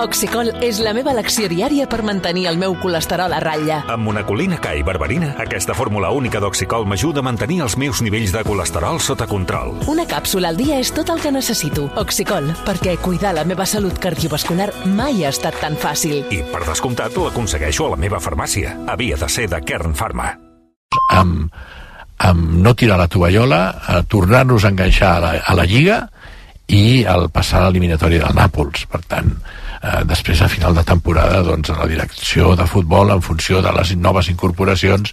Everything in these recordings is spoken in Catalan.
Oxicol és la meva elecció diària per mantenir el meu colesterol a ratlla. Amb monacolina K i berberina, aquesta fórmula única d'Oxicol m'ajuda a mantenir els meus nivells de colesterol sota control. Una càpsula al dia és tot el que necessito. Oxicol, perquè cuidar la meva salut cardiovascular mai ha estat tan fàcil. I, per descomptat, l'aconsegueixo a la meva farmàcia. Havia de ser de Kern Pharma. Amb no tirar la tovallola, tornar-nos a enganxar a la Lliga i el passar a l'eliminatori del Nàpols. Per tant, després a final de temporada, doncs la direcció de futbol, en funció de les noves incorporacions,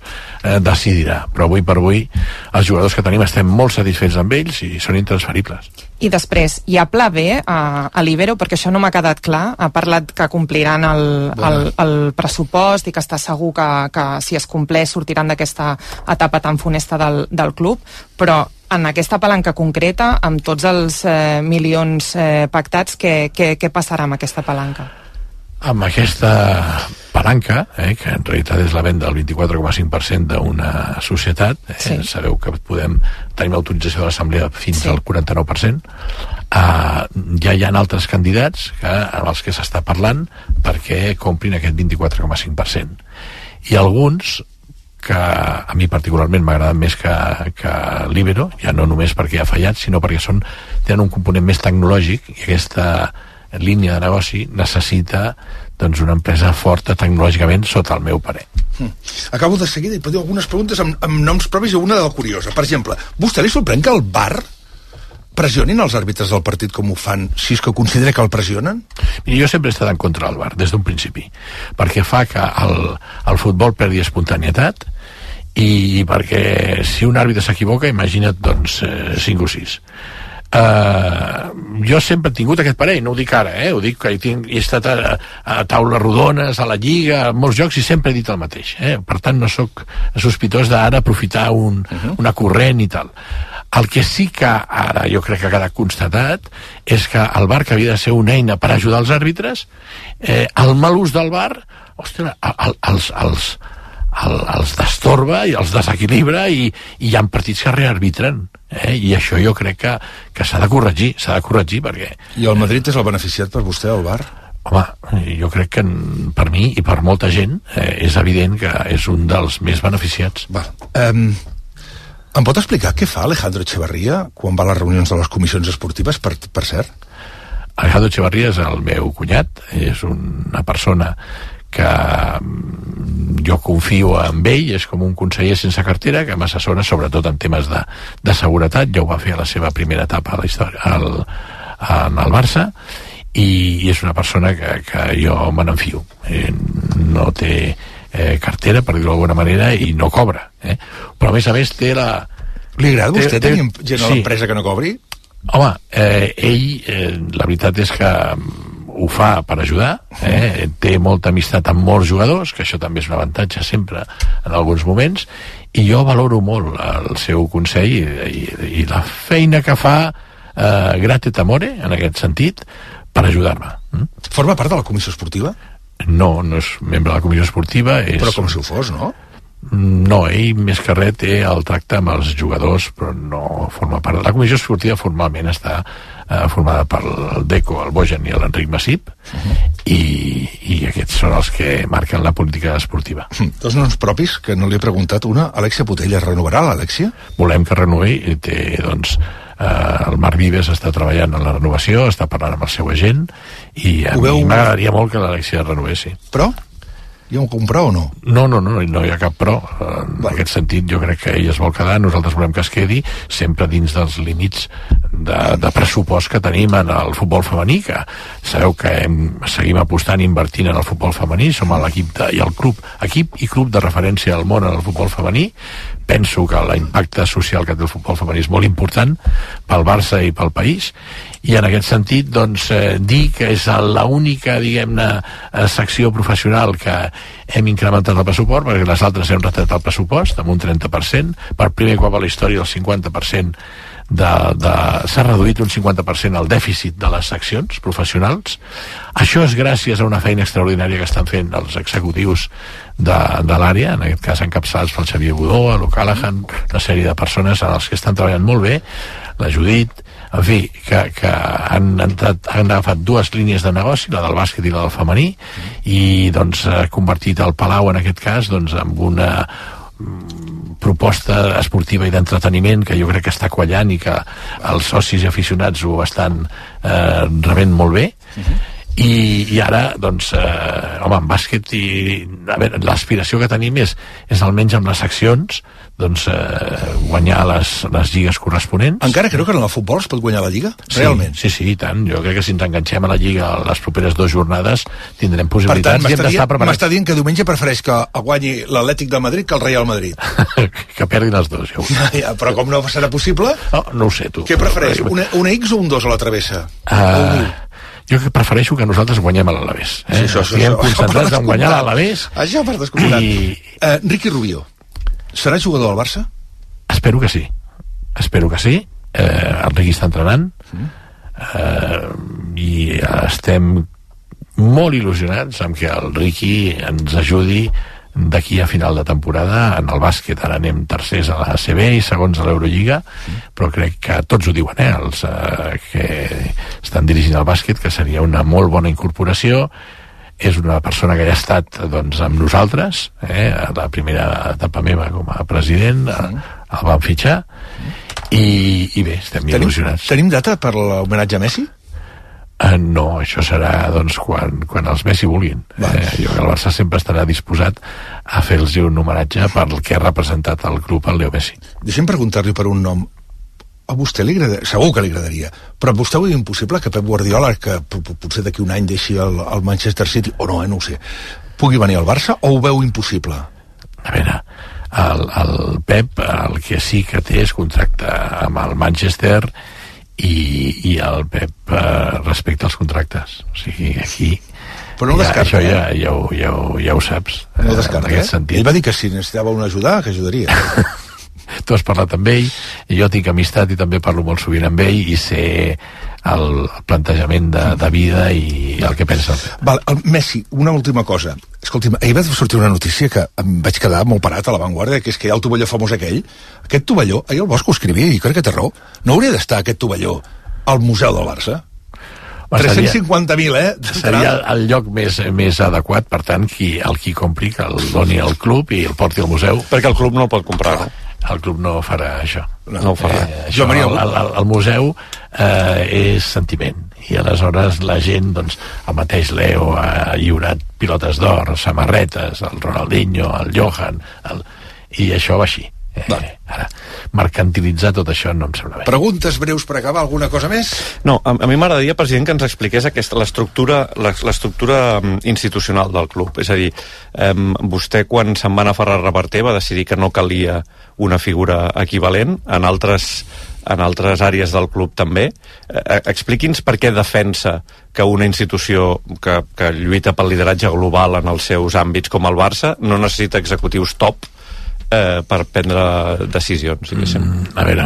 decidirà. Però avui per avui els jugadors que tenim estem molt satisfets amb ells i són intransferibles. I després, hi ha pla B a l'Ibero, perquè això no m'ha quedat clar. Ha parlat que compliran el pressupost i que està segur que si es compleix sortiran d'aquesta etapa tan funesta del club, però en aquesta palanca concreta, amb tots els milions pactats, què passarà amb aquesta palanca? Amb aquesta palanca, que en realitat és la venda del 24,5% d'una societat, sí. Sabeu que tenim autorització de l'Assemblea fins al 49%, ja hi ha altres candidats amb els que s'està parlant perquè comprin aquest 24,5%. I alguns que a mi particularment m'agraden més que l'Ibero, ja no només perquè ha fallat, sinó perquè tenen un component més tecnològic, i aquesta línia de negoci necessita doncs una empresa forta tecnològicament, sota el meu parer. Acabo de seguida i podeu algunes preguntes amb noms propis i una de la curiosa. Per exemple, vostè li sorprèn que el VAR pressionin els àrbitres del partit com ho fan, si és que considera que el pressionen? Mira, jo sempre he estat en contra del VAR, des d'un principi, perquè fa que el futbol perdi espontaneïtat i perquè si un àrbitre s'equivoca, imagina't, doncs, 5 o 6. Jo sempre he tingut aquest parell, no ho dic ara, ho dic que he estat a taules rodones, a la Lliga, a molts jocs, i sempre he dit el mateix, per tant no sóc sospitós d'ara aprofitar una corrent i tal. El que sí que ara jo crec que ha quedat constatat és que el VAR, que havia de ser una eina per ajudar els àrbitres, el mal ús del VAR, ostres, els destorba i els desequilibra, i hi ha partits que rearbitren, i això jo crec que s'ha de corregir perquè... I el Madrid és el beneficiat per vostè, el VAR? Home, jo crec que per mi i per molta gent és evident que és un dels més beneficiats. Em pot explicar què fa Alejandro Echevarría quan va a les reunions de les comissions esportives, per cert? Alejandro Echevarría és el meu cunyat, és una persona que jo confio en ell, és com un conseller sense cartera que m'assessora sobretot en temes de seguretat. Ja ho va fer a la seva primera etapa a la història en el Barça, i és una persona que jo me n'enfio. No té cartera, per dir-ho d'alguna manera, i no cobra, però a més té la... Li agrada a vostè tenir gent a l'empresa que no cobri? Home, ell la veritat és que ho fa per ajudar, té molta amistat amb molts jugadors, que això també és un avantatge sempre en alguns moments, i jo valoro molt el seu consell i la feina que fa gratis amore, en aquest sentit, per ajudar-me. Forma part de la comissió esportiva? No és membre de la comissió esportiva. Però com si ho fos, no? No, ell més que res té el tracte amb els jugadors, però no forma part. La comissió esportiva formalment està formada per el Deco, el Bojan i l'Enric Massip, i aquests són els que marquen la política esportiva. Dos noms propis que no li he preguntat. Una, Alexia Putellas, renovarà l'Alexia? Volem que renovi, el Marc Vives està treballant en la renovació, està parlant amb el seu agent, i a mi m'agradaria molt que l'Alexia renovessi. Però? Hi ha un pro o no? No hi ha cap pro. En aquest sentit jo crec que ell es vol quedar, nosaltres volem que es quedi, sempre dins dels límits de pressupost que tenim en el futbol femení, que sabeu que seguim apostant i invertint en el futbol femení, som l'equip i el club, equip i club de referència al món en el futbol femení. Penso que l'impacte social que té el futbol femení és molt important pel Barça i pel país, i en aquest sentit dir que és l'única, diguem-ne, secció professional que hem incrementat el pressupost, perquè les altres hem retallat el pressupost amb un 30%, per primer cop a la història el 50% s'ha reduït un 50% el dèficit de les seccions professionals. Això és gràcies a una feina extraordinària que estan fent els executius de l'àrea, en aquest cas encapçalats pel Xavier Budó, l'O'Callaghan, una sèrie de persones en els que estan treballant molt bé, la Judit, en fi, que han agafat dues línies de negoci, la del bàsquet i la del femení, i doncs ha convertit el Palau en aquest cas doncs en una proposta esportiva i d'entreteniment que jo crec que està quallant i que els socis i aficionats ho estan rebent molt bé. I ara, doncs, home, en bàsquet l'aspiració que tenim és almenys amb les seccions doncs guanyar les lligues corresponents. Encara creu que en el futbol es pot guanyar la lliga? Realment? Sí, i tant. Jo crec que si ens enganxem a la lliga les properes 2 jornades tindrem possibilitats. Per tant, m'està dient que diumenge prefereix que guanyi l'Atlètic de Madrid que el Real Madrid. Que perdin els dos, ja ho sé. Ja, però com no serà possible? No ho sé, tu. Què prefereix? Una X o un 2 a la travessa? Jo que prefereixo que nosaltres guanyem a l'Alavés. Sí, estiguem concentrats en guanyar l'Alavés. Això per descomptat. Ricky Rubio, serà jugador del Barça? Espero que sí. El Ricky està entrenant i estem molt il·lusionats amb que el Ricky ens ajudi d'aquí a final de temporada. En el bàsquet ara anem tercers a la ACB i segons a l'Eurolliga, però crec que tots ho diuen, els que estan dirigint el bàsquet, que seria una molt bona incorporació. És una persona que ja ha estat doncs, amb nosaltres, a la primera etapa meva com a president, el vam fitxar, i bé, estem il·lusionats. Tenim data per l'homenatge a Messi? No, això serà doncs, quan els Messi vulguin. Jo crec que el Barça sempre estarà disposat a fer-los un homenatge per el que ha representat el club, el Leo Messi. Deixem preguntar-li per un nom. A vostè li agradaria, segur que li agradaria, però a vostè ho veu impossible que Pep Guardiola, que potser d'aquí un any deixi el Manchester City, o no, no ho sé, pugui venir al Barça, o ho veu impossible? A veure, el Pep el que sí que té és contracte amb el Manchester i el Pep respecta els contractes. O sigui, aquí però no descarta, això ja ho saps. No descarta, Ell va dir que si necessitava una ajuda, que ajudaria. Tu has parlat amb ell, jo tinc amistat i també parlo molt sovint amb ell i sé el plantejament de vida i el que pensa. El Messi, una última cosa. Escolti'm, ahir va sortir una notícia que em vaig quedar molt parat a l'avantguarda, que és que hi ha el tovalló famós aquell. Aquest tovalló, ahir el Bosch ho escrivia i crec que té raó. No hauria d'estar aquest tovalló al Museu del Barça? 350.000, Seria el lloc més adequat, per tant, el qui compri que el doni al club i el porti al museu. Perquè el club no el pot comprar, no? El club no farà això. No ho farà. El museu és sentiment, i aleshores la gent, doncs, el mateix Leo ha lliurat pilotes d'or, samarretes, el Ronaldinho, el Johan, i això va així. Ara, mercantilitzar tot això no em sembla bé. Preguntes breus per acabar, alguna cosa més? No, a mi m'agradaria, president, que ens expliqués l'estructura institucional del club. És a dir, vostè quan se'n va anar a Ferrar-Reverter va decidir que no calia una figura equivalent, en altres àrees del club també. Expliqui'ns per què defensa que una institució que lluita pel lideratge global en els seus àmbits com el Barça no necessita executius top per prendre decisions. A veure,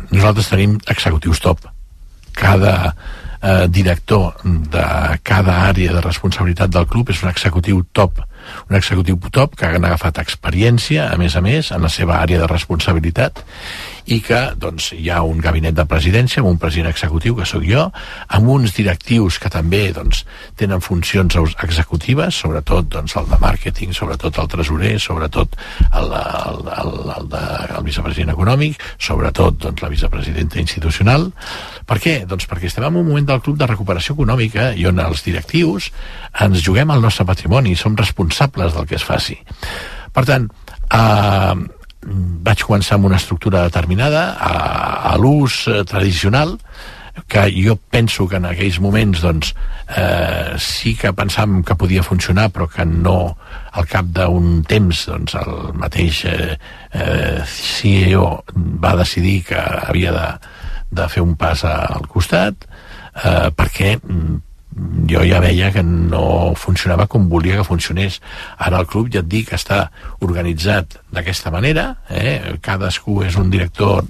nosaltres tenim executius top. Cada director de cada àrea de responsabilitat del club és un executiu top que han agafat experiència, a més, en la seva àrea de responsabilitat, i que doncs, hi ha un gabinet de presidència amb un president executiu, que sóc jo, amb uns directius que també doncs, tenen funcions executives, sobretot doncs, el de màrqueting, sobretot el tresorer, sobretot el vicepresident econòmic, sobretot doncs, la vicepresidenta institucional. Per què? Doncs perquè estem en un moment del club de recuperació econòmica i on els directius ens juguem el nostre patrimoni, som responsables del que es faci. Per tant, vaig començar amb una estructura determinada, a l'ús tradicional, que jo penso que en aquells moments doncs, sí que pensàvem que podia funcionar, però que no, al cap d'un temps doncs, el mateix CEO va decidir que havia de fer un pas al costat, perquè jo ja veia que no funcionava com volia que funcionés. Ara el club, ja et dic, està organitzat d'aquesta manera, cadascú és un director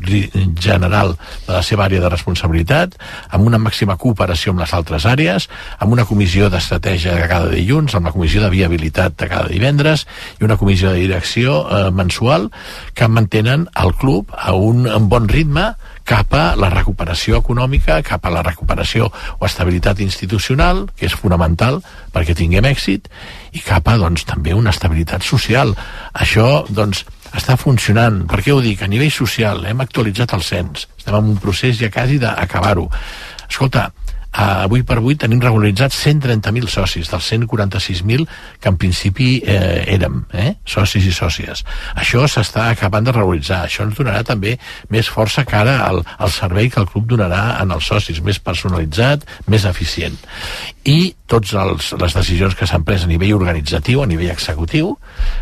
general de la seva àrea de responsabilitat, amb una màxima cooperació amb les altres àrees, amb una comissió d'estratègia de cada dilluns, amb la comissió de viabilitat de cada divendres i una comissió de direcció mensual que mantenen el club a un bon ritme cap a la recuperació econòmica, cap a la recuperació o estabilitat institucional, que és fonamental perquè tinguem èxit, i cap a, doncs, també una estabilitat social. Això, doncs, està funcionant. Per què ho dic? A nivell social hem actualitzat el cens. Estem en un procés ja quasi d'acabar-ho. Escolta, avui per avui tenim regularitzats 130.000 socis dels 146.000 que en principi érem, socis i sòcies. Això s'està acabant de regularitzar. Això ens donarà també més força cara al servei que el club donarà en els socis, més personalitzat, més eficient. I totes les decisions que s'han pres a nivell organitzatiu, a nivell executiu,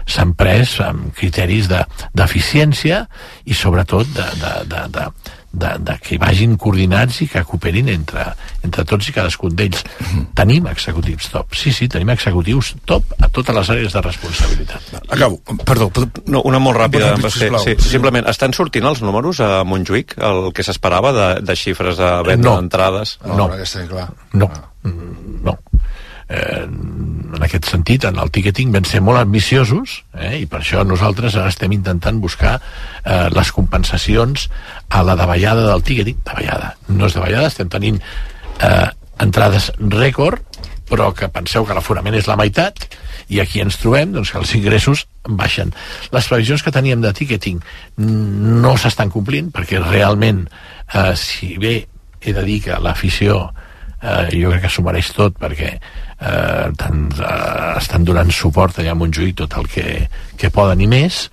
s'han pres amb criteris d'eficiència i sobretot de que vagin coordinats i que cooperin entre tots i cadascun d'ells. Tenim executius top. Sí, tenim executius top a totes les àrees de responsabilitat. Acabo. Perdó. No, una molt ràpida. Simplement, estan sortint els números a Montjuïc, el que s'esperava de xifres de venda d'entrades? No, està clar. No. En aquest sentit, en el ticketing vam ser molt ambiciosos, i per això nosaltres ara estem intentant buscar les compensacions a la davallada del ticketing. No és davallada, estem tenint entrades rècord, però que penseu que l'aforament és la meitat, i aquí ens trobem doncs, que els ingressos baixen. Les previsions que teníem de ticketing no s'estan complint, perquè realment, si bé he de dir que l'afició jo crec que s'ho mereix tot, perquè estan donant suport allà a Montjuïc tot el que poden i més.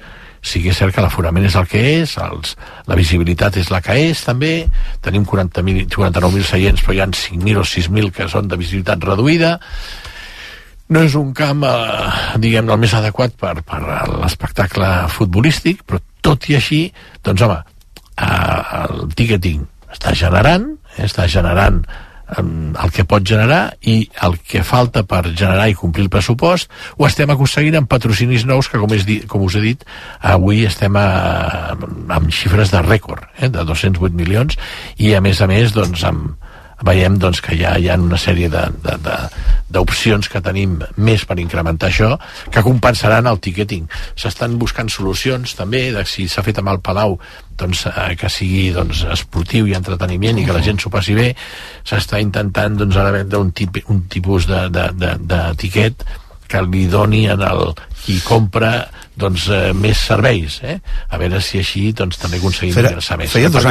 Sí que és cert que l'aforament és el que és, la visibilitat és la que és també, tenim 49.000 seients, però hi ha 5.000 o 6.000 que són de visibilitat reduïda. No és un camp diguem el més adequat per l'espectacle futbolístic, però tot i així, doncs home, el ticketing està generant el que pot generar, i el que falta per generar i complir el pressupost ho estem aconseguint amb patrocinis nous que, com us he dit, avui estem amb xifres de rècord, de 208 milions, i a més doncs, veiem doncs, que hi ha una sèrie d'opcions que tenim més per incrementar això, que compensaran el ticketing. S'estan buscant solucions també, de si s'ha fet amb el Palau, doncs, que sigui esportiu i entreteniment i que la gent s'ho passi bé. S'està intentant ara vendre un tipus de tiquet que li doni en qui compra més serveis, a veure si així també aconseguim ingressar més. Feia 2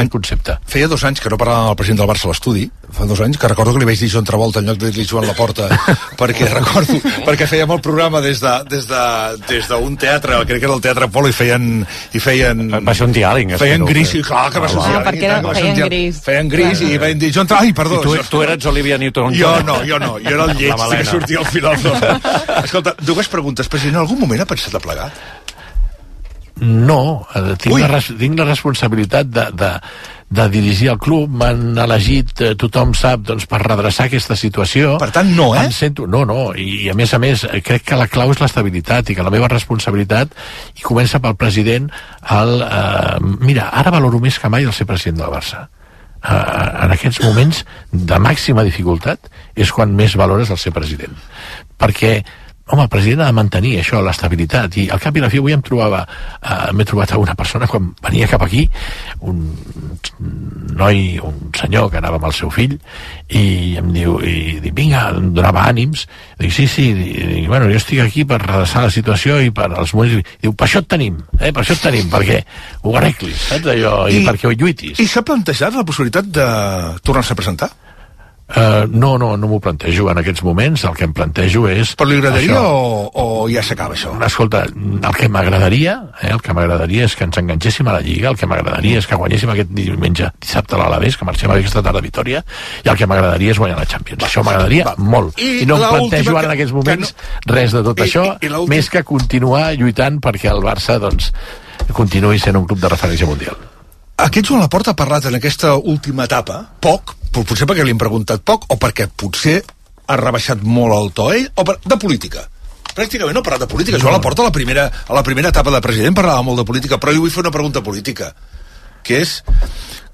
anys que no parlàvem amb el president del Barça a l'estudi, fa 2 anys que recordo que li vaig dir Joan Travolta en lloc de dir Joan Laporta, perquè fèiem el programa des d'un teatre, crec que era el Teatre Apolo, i feien va ser un diàleg, feien gris, i clar que va ser un diàleg, perquè feien gris i van dir Joan Travolta, perdó, tu eres Olivia Newton-John. Jo no, jo era el lleig que sortia al final. Escolta, 2 preguntes, president, en algun moment ha pensat a plegar? No, tinc la responsabilitat de dirigir el club, m'han elegit, tothom sap, per redreçar aquesta situació. Per tant, no, No, i a més, crec que la clau és l'estabilitat, i que la meva responsabilitat, i comença pel president, mira, ara valoro més que mai el ser president del Barça. En aquests moments de màxima dificultat és quan més valores el ser president, perquè el president ha de mantenir això, l'estabilitat, i al cap i a la fi avui m'he trobat a una persona quan venia cap aquí, un senyor que anava amb el seu fill, i em diu, vinga, em donava ànims, dic, sí, bueno, jo estic aquí per redreçar la situació i per als moments, diu, per això et tenim, perquè ho arreglis, saps allò, i perquè ho lluitis. I s'ha plantejat la possibilitat de tornar-se a presentar? No m'ho plantejo en aquests moments. El que em plantejo és... Però li agradaria o ja s'acaba això? Escolta, el que m'agradaria és que ens enganxéssim a la Lliga, el que m'agradaria és que guanyéssim aquest dissabte a l'Alavés, que marxem aquesta tarda a Vitòria, i el que m'agradaria és guanyar la Champions. Això m'agradaria molt. I no em plantejo ara en aquests moments res de tot això, més que continuar lluitant perquè el Barça continuï sent un club de referència mundial. Aquest Joan Laporta ha parlat en aquesta última etapa poc, potser perquè li hem preguntat poc o perquè potser ha rebaixat molt el to ell, o de política? Pràcticament no ha parlat de política. Jo a la porta, a la primera etapa de president, parlava molt de política, però jo vull fer una pregunta política, que és,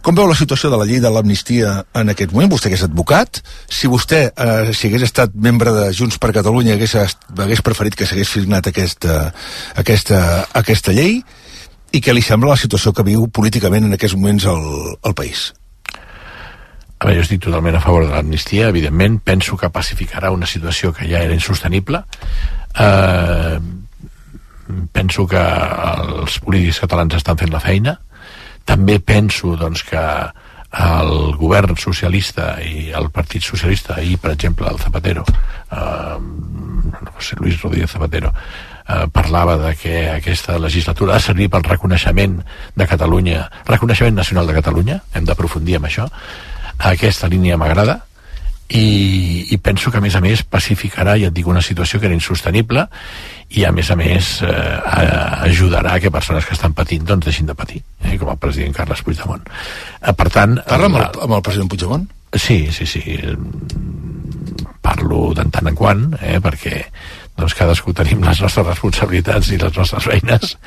com veu la situació de la llei de l'amnistia en aquest moment? Vostè que és advocat, si vostè, si hagués estat membre de Junts per Catalunya, hagués preferit que s'hagués signat aquesta llei, i què li sembla la situació que viu políticament en aquests moments el país? A veure, jo estic totalment a favor de l'amnistia, evidentment, penso que pacificarà una situació que ja era insostenible. Penso que els polítics catalans estan fent la feina. També penso, doncs, que el govern socialista i el Partit Socialista, ahir, per exemple, el Zapatero, José Luis Rodríguez Zapatero, parlava de que aquesta legislatura ha de servir pel reconeixement de Catalunya, reconeixement nacional de Catalunya, hem d'aprofundir en això. Aquesta línia m'agrada i penso que a més pacificarà, ja et dic, una situació que era insostenible i a més ajudarà a que persones que estan patint doncs deixin de patir, com el president Carles Puigdemont. Per tant... Parla amb el president Puigdemont? Sí. Parlo de tant en quant, perquè doncs cadascú tenim les nostres responsabilitats i les nostres feines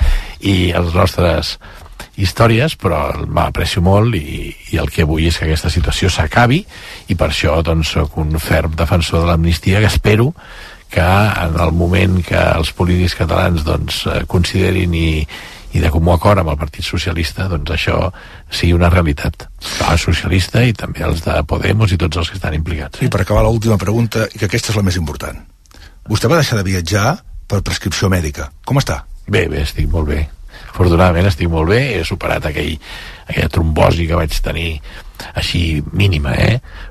i els nostres històries, però m'aprecio molt i el que vull és que aquesta situació s'acabi i per això doncs soc un ferm defensor de l'amnistia, que espero que en el moment que els polítics catalans doncs considerin i de comú acord amb el Partit Socialista, doncs això sigui una realitat. El socialista i també els de Podemos i tots els que estan implicats. I per acabar l'última pregunta, i que aquesta és la més important. Vostè va deixar de viatjar per prescripció mèdica. Com està? Bé, estic molt bé. Afortunadament estic molt bé, he superat aquella trombosi que vaig tenir així mínima,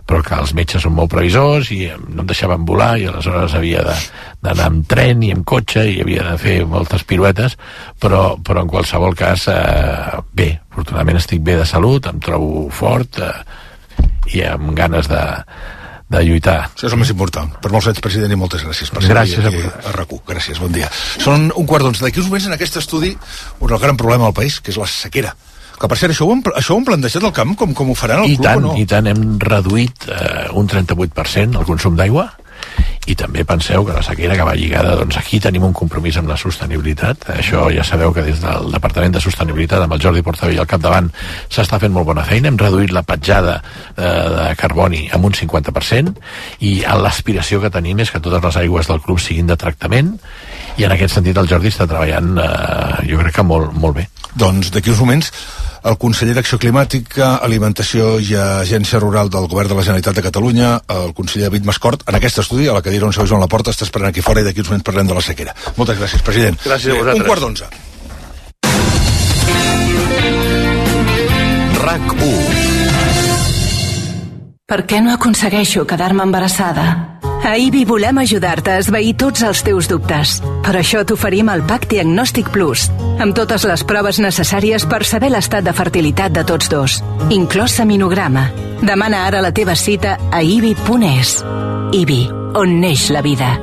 però que els metges són molt previsors i no em deixaven volar i aleshores havia d'anar amb tren i amb cotxe i havia de fer moltes piruetes, però en qualsevol cas bé, afortunadament estic bé de salut, em trobo fort i amb ganes de lluitar. Això és el més important. Per molts anys, president, i moltes gràcies per ser aquí a RAC1. Gràcies, bon dia. Són 1:15. D'aquí uns moments en aquest estudi el gran problema del país, que és la sequera. Que per cert, això ho han plantejat al camp, com ho faran al club o no? I tant, hem reduït un 38% el consum d'aigua i també penseu que la sequera que va lligada, doncs aquí tenim un compromís amb la sostenibilitat. Això ja sabeu que des del Departament de Sostenibilitat amb el Jordi Portavell al capdavant s'està fent molt bona feina. Hem reduït la petjada de carboni amb un 50% i l'aspiració que tenim és que totes les aigües del club siguin de tractament i en aquest sentit el Jordi està treballant jo crec que molt bé. Doncs d'aquí uns moments el conseller d'Acció Climàtica, Alimentació i Agència Rural del Govern de la Generalitat de Catalunya, el conseller David Mascort, en aquest estudi, a la cadira on seu Joan Laporta, està esperant aquí fora i d'aquí uns moments parlem de la sequera. Moltes gràcies, president. Gràcies a vosaltres. 1:15. RAC1. Per què no aconsegueixo quedar-me embarassada? A IBI volem ajudar-te a esvair tots els teus dubtes. Per això t'oferim el PAC Diagnòstic Plus, amb totes les proves necessàries per saber l'estat de fertilitat de tots dos, inclòs seminograma. Demana ara la teva cita a ibi.es. IBI, on neix la vida.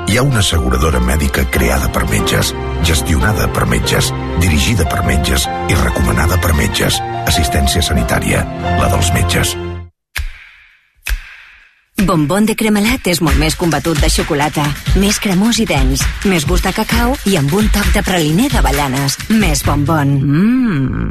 Hi ha una asseguradora mèdica creada per metges, gestionada per metges, dirigida per metges i recomanada per metges. Assistència sanitària, la dels metges. Bombón de cremelat és molt més combatut de xocolata, més cremós i dens, més gust de cacau i amb un toc de praliner d'avellanes. Més bombón.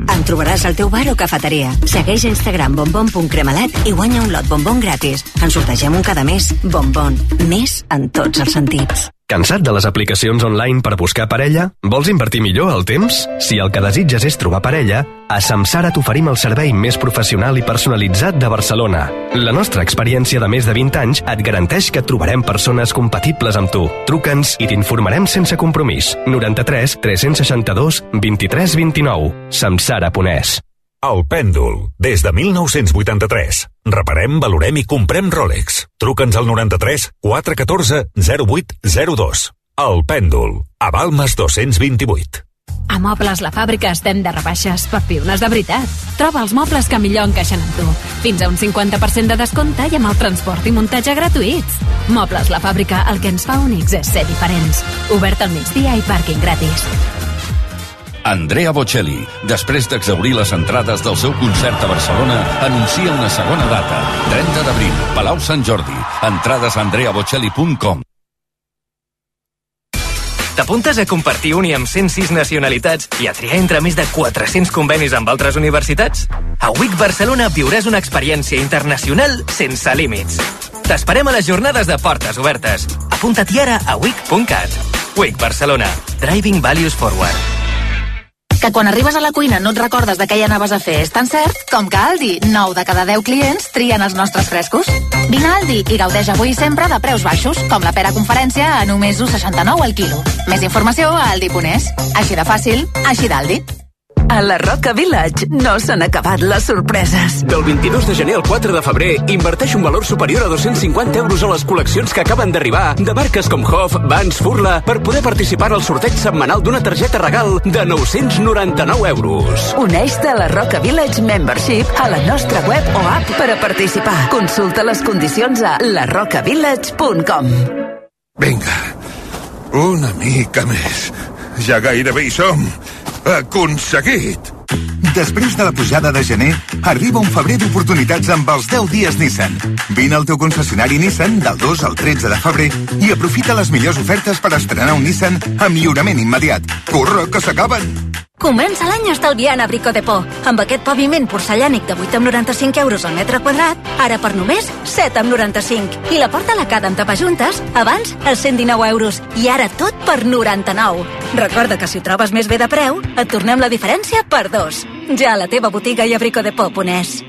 En trobaràs al teu bar o cafeteria. Segueix a Instagram bombón.cremelat i guanya un lot bombón gratis. En sortegem un cada mes. Bombón. Més en tots els sentits. Cansat de les aplicacions online per buscar parella? Vols invertir millor el temps? Si el que desitges és trobar parella, a Samsara t'oferim el servei més professional i personalitzat de Barcelona. La nostra experiència de més de 20 anys et garanteix que et trobarem persones compatibles amb tu. Truca'ns i t'informarem sense compromís. 93 362 23 29. Samsara.es. El Pèndol, des de 1983. Reparem, valorem i comprem Rolex. Truca'ns al 93 414 0802. El Pèndol, a Balmes 228. A Mobles La Fàbrica estem de rebaixes per piones de veritat. Troba els mobles que millor encaixen amb tu. Fins a un 50% de descompte i amb el transport i muntatge gratuïts. Mobles La Fàbrica, el que ens fa únics és ser diferents. Obert al migdia i pàrquing gratis. Andrea Bocelli, després d'exhaurir les entrades del seu concert a Barcelona, anuncia una segona data. 30 d'abril, Palau Sant Jordi. Entrades a andreabocelli.com. T'apuntes a compartir uni amb 106 nacionalitats i a triar entre més de 400 convenis amb altres universitats? A WIC Barcelona viuràs una experiència internacional sense límits. T'esperem a les jornades de portes obertes. Apunta-t'hi ara a wic.cat. WIC Barcelona. Driving Values Forward. Que quan arribes a la cuina no et recordes de què hi anaves a fer és tan cert com que a Aldi, 9 de cada 10 clients trien els nostres frescos. Vine a Aldi i gaudeix avui sempre de preus baixos, com la pera conferència a només 1,69 al quilo. Més informació a aldi.es. Així de fàcil, així d'Aldi. A la Roca Village no s'han acabat les sorpreses. Del 22 de gener al 4 de febrer, inverteix un valor superior a 250 euros a les col·leccions que acaben d'arribar de marques com Hof, Vans, Furla, per poder participar al sorteig setmanal d'una targeta regal de 999 euros. Uneix-te a la Roca Village Membership a la nostra web o app per a participar. Consulta les condicions a larocavillage.com. Vinga, una mica més. Ja gairebé hi som. Aconseguit! Després de la pujada de gener, arriba un febrer d'oportunitats amb els 10 dies Nissan. Vine al teu concessionari Nissan del 2 al 13 de febrer i aprofita les millors ofertes per estrenar un Nissan amb lliurament immediat. Corre, que s'acaben! Comença l'any estalviant a Brico Depot. Amb aquest paviment porcellànic de 8,95 euros al metre quadrat, ara per només 7,95. I la porta lacada amb tapajuntes, abans els 119 euros. I ara tot per 99. Recorda que si ho trobes més bé de preu, et tornem la diferència per 2. Ja a la teva botiga i a bricodepot.es.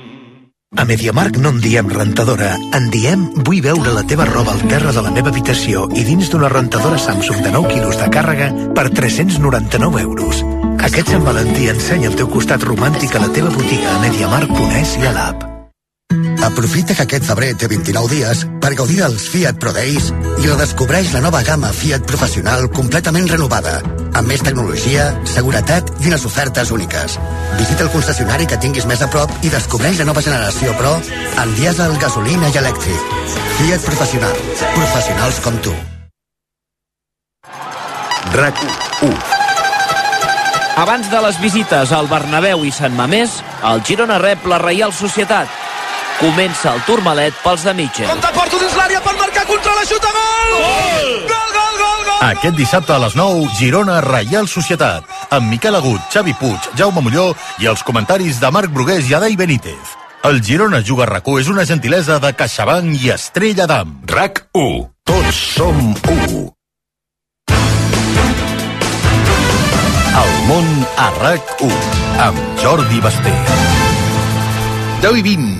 A MediaMarkt no en diem rentadora, en diem vull veure la teva roba al terra de la meva habitació i dins d'una rentadora Samsung de 9 quilos de càrrega per 399 euros. Aquest Sant Valentí ensenya el teu costat romàntic a la teva botiga a MediaMarkt.es i a l'app. Aprofita que aquest febrer té 29 dies per gaudir dels Fiat Pro Days i redescobreix la nova gamma Fiat Professional completament renovada, amb més tecnologia, seguretat i unes ofertes úniques. Visita el concessionari que tinguis més a prop i descobreix la nova generació Pro en dièsel, gasolina i elèctric. Fiat Professional. Professionals com tu. RAC1. Abans de les visites al Bernabéu i Sant Mamés, el Girona rep la Reial Societat. Comença el Tourmalet pels de Mitchell. Compte Porto dins l'àrea per marcar contra la xuta, gol! Gol! Gol, gol, gol, gol! Aquest dissabte a les 9, Girona Reial Societat, amb Miquel Agut, Xavi Puig, Jaume Molló i els comentaris de Marc Brugués i Adai Benítez. El Girona Juga RAC1 és una gentilesa de CaixaBank i Estrella d'Am. RAC1. Tots som 1. El món a RAC1 amb Jordi Basté. 10 i 20.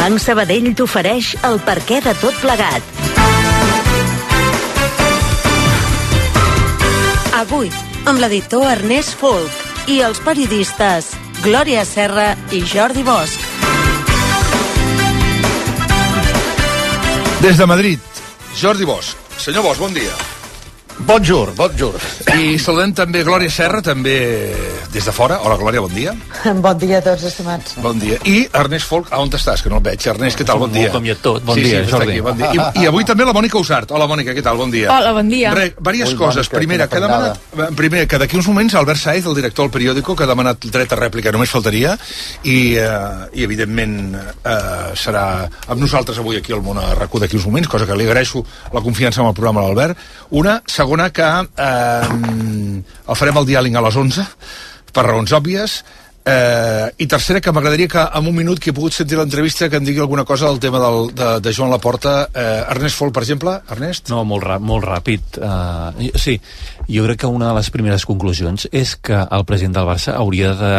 Banc Sabadell t'ofereix el perquè de tot plegat. Avui, amb l'editor Ernest Folk i els periodistes Glòria Serra i Jordi Bosch. Des de Madrid, Jordi Bosch. Senyor Bosch, bon dia. Bonjour, bonjour. I saludem també Glòria Serra, també des de fora. Hola, Glòria, bon dia. Bon dia a tots, estimats. Bon dia. I Ernest Folk, on estàs? Que no el veig. Ernest, què tal? Bon dia. Com i tot. Bon dia, Jordi. Bon dia. I avui també la Mònica Usart. Hola, Mònica, què tal? Bon dia. Hola, bon dia. Diverses coses. Primera, que d'aquí uns moments Albert Saez, el director del periòdico, que ha demanat dret a rèplica, només faltaria, i evidentment serà amb nosaltres avui aquí al món a RAC1 d'aquí uns moments, cosa que li agraeixo la confiança en el programa a l'Albert. Una, segona, que el farem el diàleg a les 11 per raons òbvies, i tercera, que m'agradaria que en un minut que he pogut sentir l'entrevista que em digui alguna cosa del tema de Joan Laporta. Ernest Folk, per exemple. Ernest? No, molt ràpid. Sí, jo crec que una de les primeres conclusions és que el president del Barça hauria de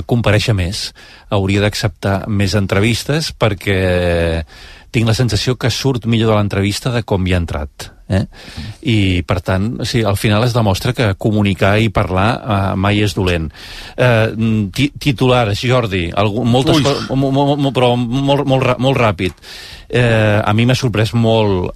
comparèixer més, hauria d'acceptar més entrevistes, perquè tinc la sensació que surt millor de l'entrevista de com hi ha entrat. I per tant, sí, al final es demostra que comunicar i parlar mai és dolent. Titulars, Jordi, moltes coses, però molt ràpid. A mi m'ha sorprès molt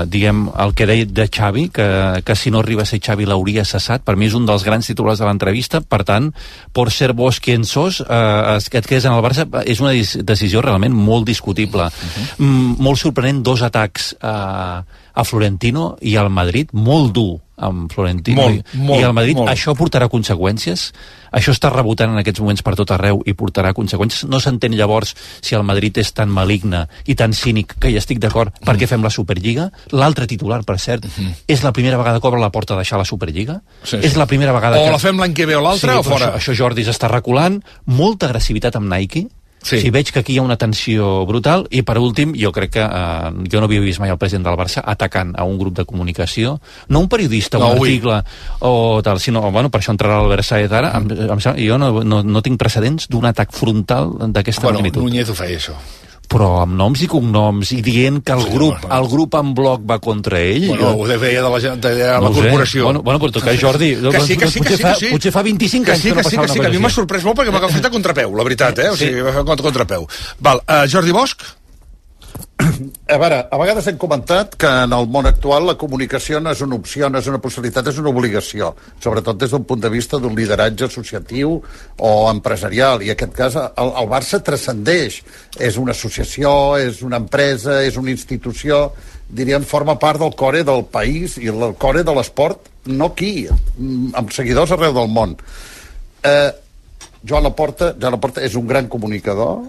diguem, el que deia de Xavi, que si no arriba a ser Xavi l'hauria cessat. Per mi és un dels grans titulars de l'entrevista. Per tant, por ser vos quien sos, que et quedes en el Barça és una decisió realment molt discutible. Molt sorprenent, 2 atacs a Florentino i al Madrid, molt dur amb Florentino i al Madrid. Això portarà conseqüències. Això està rebotant en aquests moments per tot arreu i portarà conseqüències. No s'entén llavors si el Madrid és tan maligne i tan cínic, que hi estic d'acord, per què fem la Superliga. L'altre titular, per cert, és la primera vegada que obre la porta a deixar la Superliga. És la primera vegada o la fem l'any que ve o l'altra, o fora. Això Jordi s'està reculant. Molta agressivitat amb Nike. Sí, veig que aquí hi ha una tensió brutal. I per últim, jo crec que jo no havia vist mai el president del Barça atacant a un grup de comunicació, no un periodista, un article o tal, sinó, bueno, per això entrarà l'Albert Sáez ara. Jo no tinc precedents d'un atac frontal d'aquesta magnitud. Núñez ho feia, això. Però amb noms i cognoms, i dient que el grup en bloc va contra ell. Bueno, ho deia de la corporació. Bueno, però que Jordi, potser fa 25 anys que no passava una cosa així. Que a mi m'ha sorprès molt perquè m'ha agafat a contrapeu, la veritat, o sigui, m'ha agafat a contrapeu. Val, Jordi Bosch? A veure, a vegades hem comentat que en el món actual la comunicació no és una opció, no és una possibilitat, és una obligació, sobretot des d'un punt de vista d'un lideratge associatiu o empresarial, i en aquest cas el Barça transcendeix, és una associació, és una empresa, és una institució, diríem, forma part del core del país i el core de l'esport, no aquí, amb seguidors arreu del món. Joan Laporta és un gran comunicador.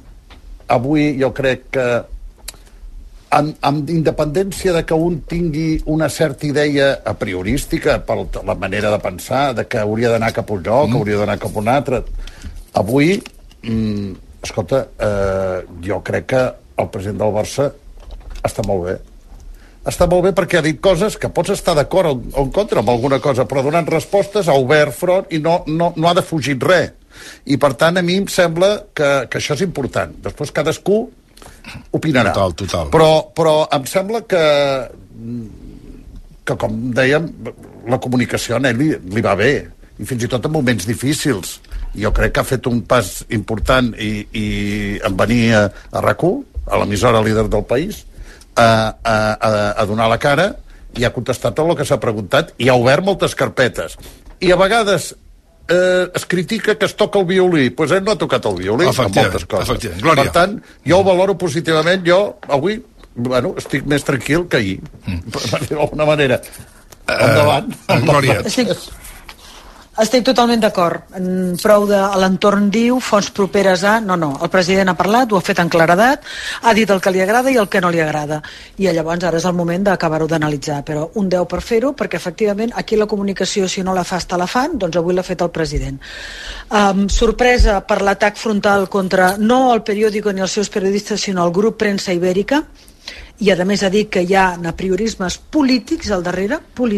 Avui jo crec que amb independència de que un tingui una certa idea a priorística per la manera de pensar, de que hauria d'anar cap a un lloc, que hauria d'anar cap a un altre, avui escolta, jo crec que el president del Barça està molt bé perquè ha dit coses que pots estar d'acord o en contra amb alguna cosa, però donant respostes ha obert front i no ha defugit res, i per tant a mi em sembla que això és important. Després cadascú opinarà. Total. Però em sembla que com dèiem, la comunicació a ell li va bé, i fins i tot en moments difícils. Jo crec que ha fet un pas important i en venir a RAC1, a l'emissora líder del país, a donar la cara, i ha contestat tot el que s'ha preguntat i ha obert moltes carpetes. I a vegades es critica que es toca el violí, doncs ell no ha tocat el violí en moltes coses. Per tant, jo ho valoro positivament. Jo avui estic més tranquil que ahir, per dir d'alguna manera. Endavant. Glòria. Estic totalment d'acord. Prou de l'entorn diu, fonts properes a... No, el president ha parlat, ho ha fet en claredat, ha dit el que li agrada i el que no li agrada. I llavors ara és el moment d'acabar-ho d'analitzar. Però un 10 per fer-ho, perquè efectivament aquí la comunicació, si no la fas, te la fan, doncs avui l'ha fet el president. Sorpresa per l'atac frontal contra no el periòdico ni els seus periodistes, sinó el grup Premsa Ibèrica, i a més ha dit que hi ha apriorismes polítics al darrere. Vull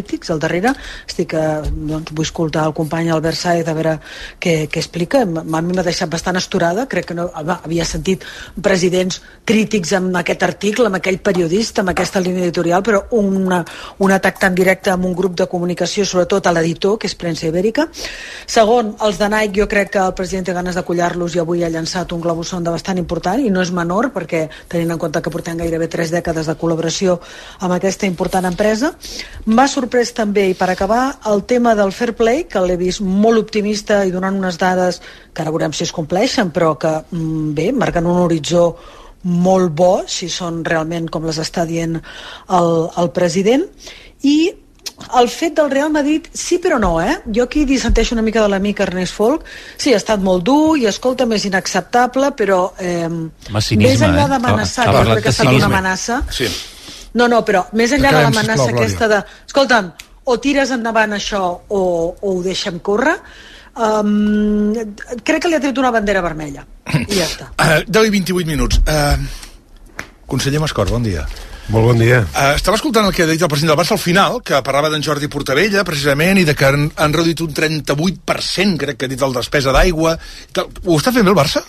escoltar el company Albert Sáez a veure què explica. A mi m'ha deixat bastant esturada, crec que no havia sentit presidents crítics amb aquest article, amb aquell periodista, amb aquesta línia editorial, però un atac tan directe amb un grup de comunicació, sobretot a l'editor, que és Premsa Ibèrica. Segon, els de Nike, jo crec que el president té ganes de collar-los i avui ha llançat un globus sonda bastant important, i no és menor, perquè tenint en compte que portem gairebé 3 dècades de col·laboració amb aquesta important empresa. M'ha sorprès també, i per acabar, el tema del fair play, que l'he vist molt optimista i donant unes dades que ara veurem si es compleixen, però que, bé, marquen un horitzó molt bo, si són realment com les està dient el president. I el fet del Real Madrid, sí però no, Jo aquí dissenteixo una mica de l'amic Ernest Folk. Sí, ha estat molt dur i, escolta, més inacceptable, però més enllà d'amenaçar, que crec que ha estat una amenaça. Sí. No, però més enllà de l'amenaça aquesta de, escolta'm, o tires endavant això o ho deixem córrer, crec que li ha tret una bandera vermella. I ja està. 10 i 28 minuts. Conseller Mascort, bon dia. Molt bon dia. Estava escoltant el que ha dit el president del Barça al final, que parlava d'en Jordi Portabella, precisament, i de que han reduït un 38%, crec que ha dit, el despesa d'aigua. Ho està fent bé el Barça?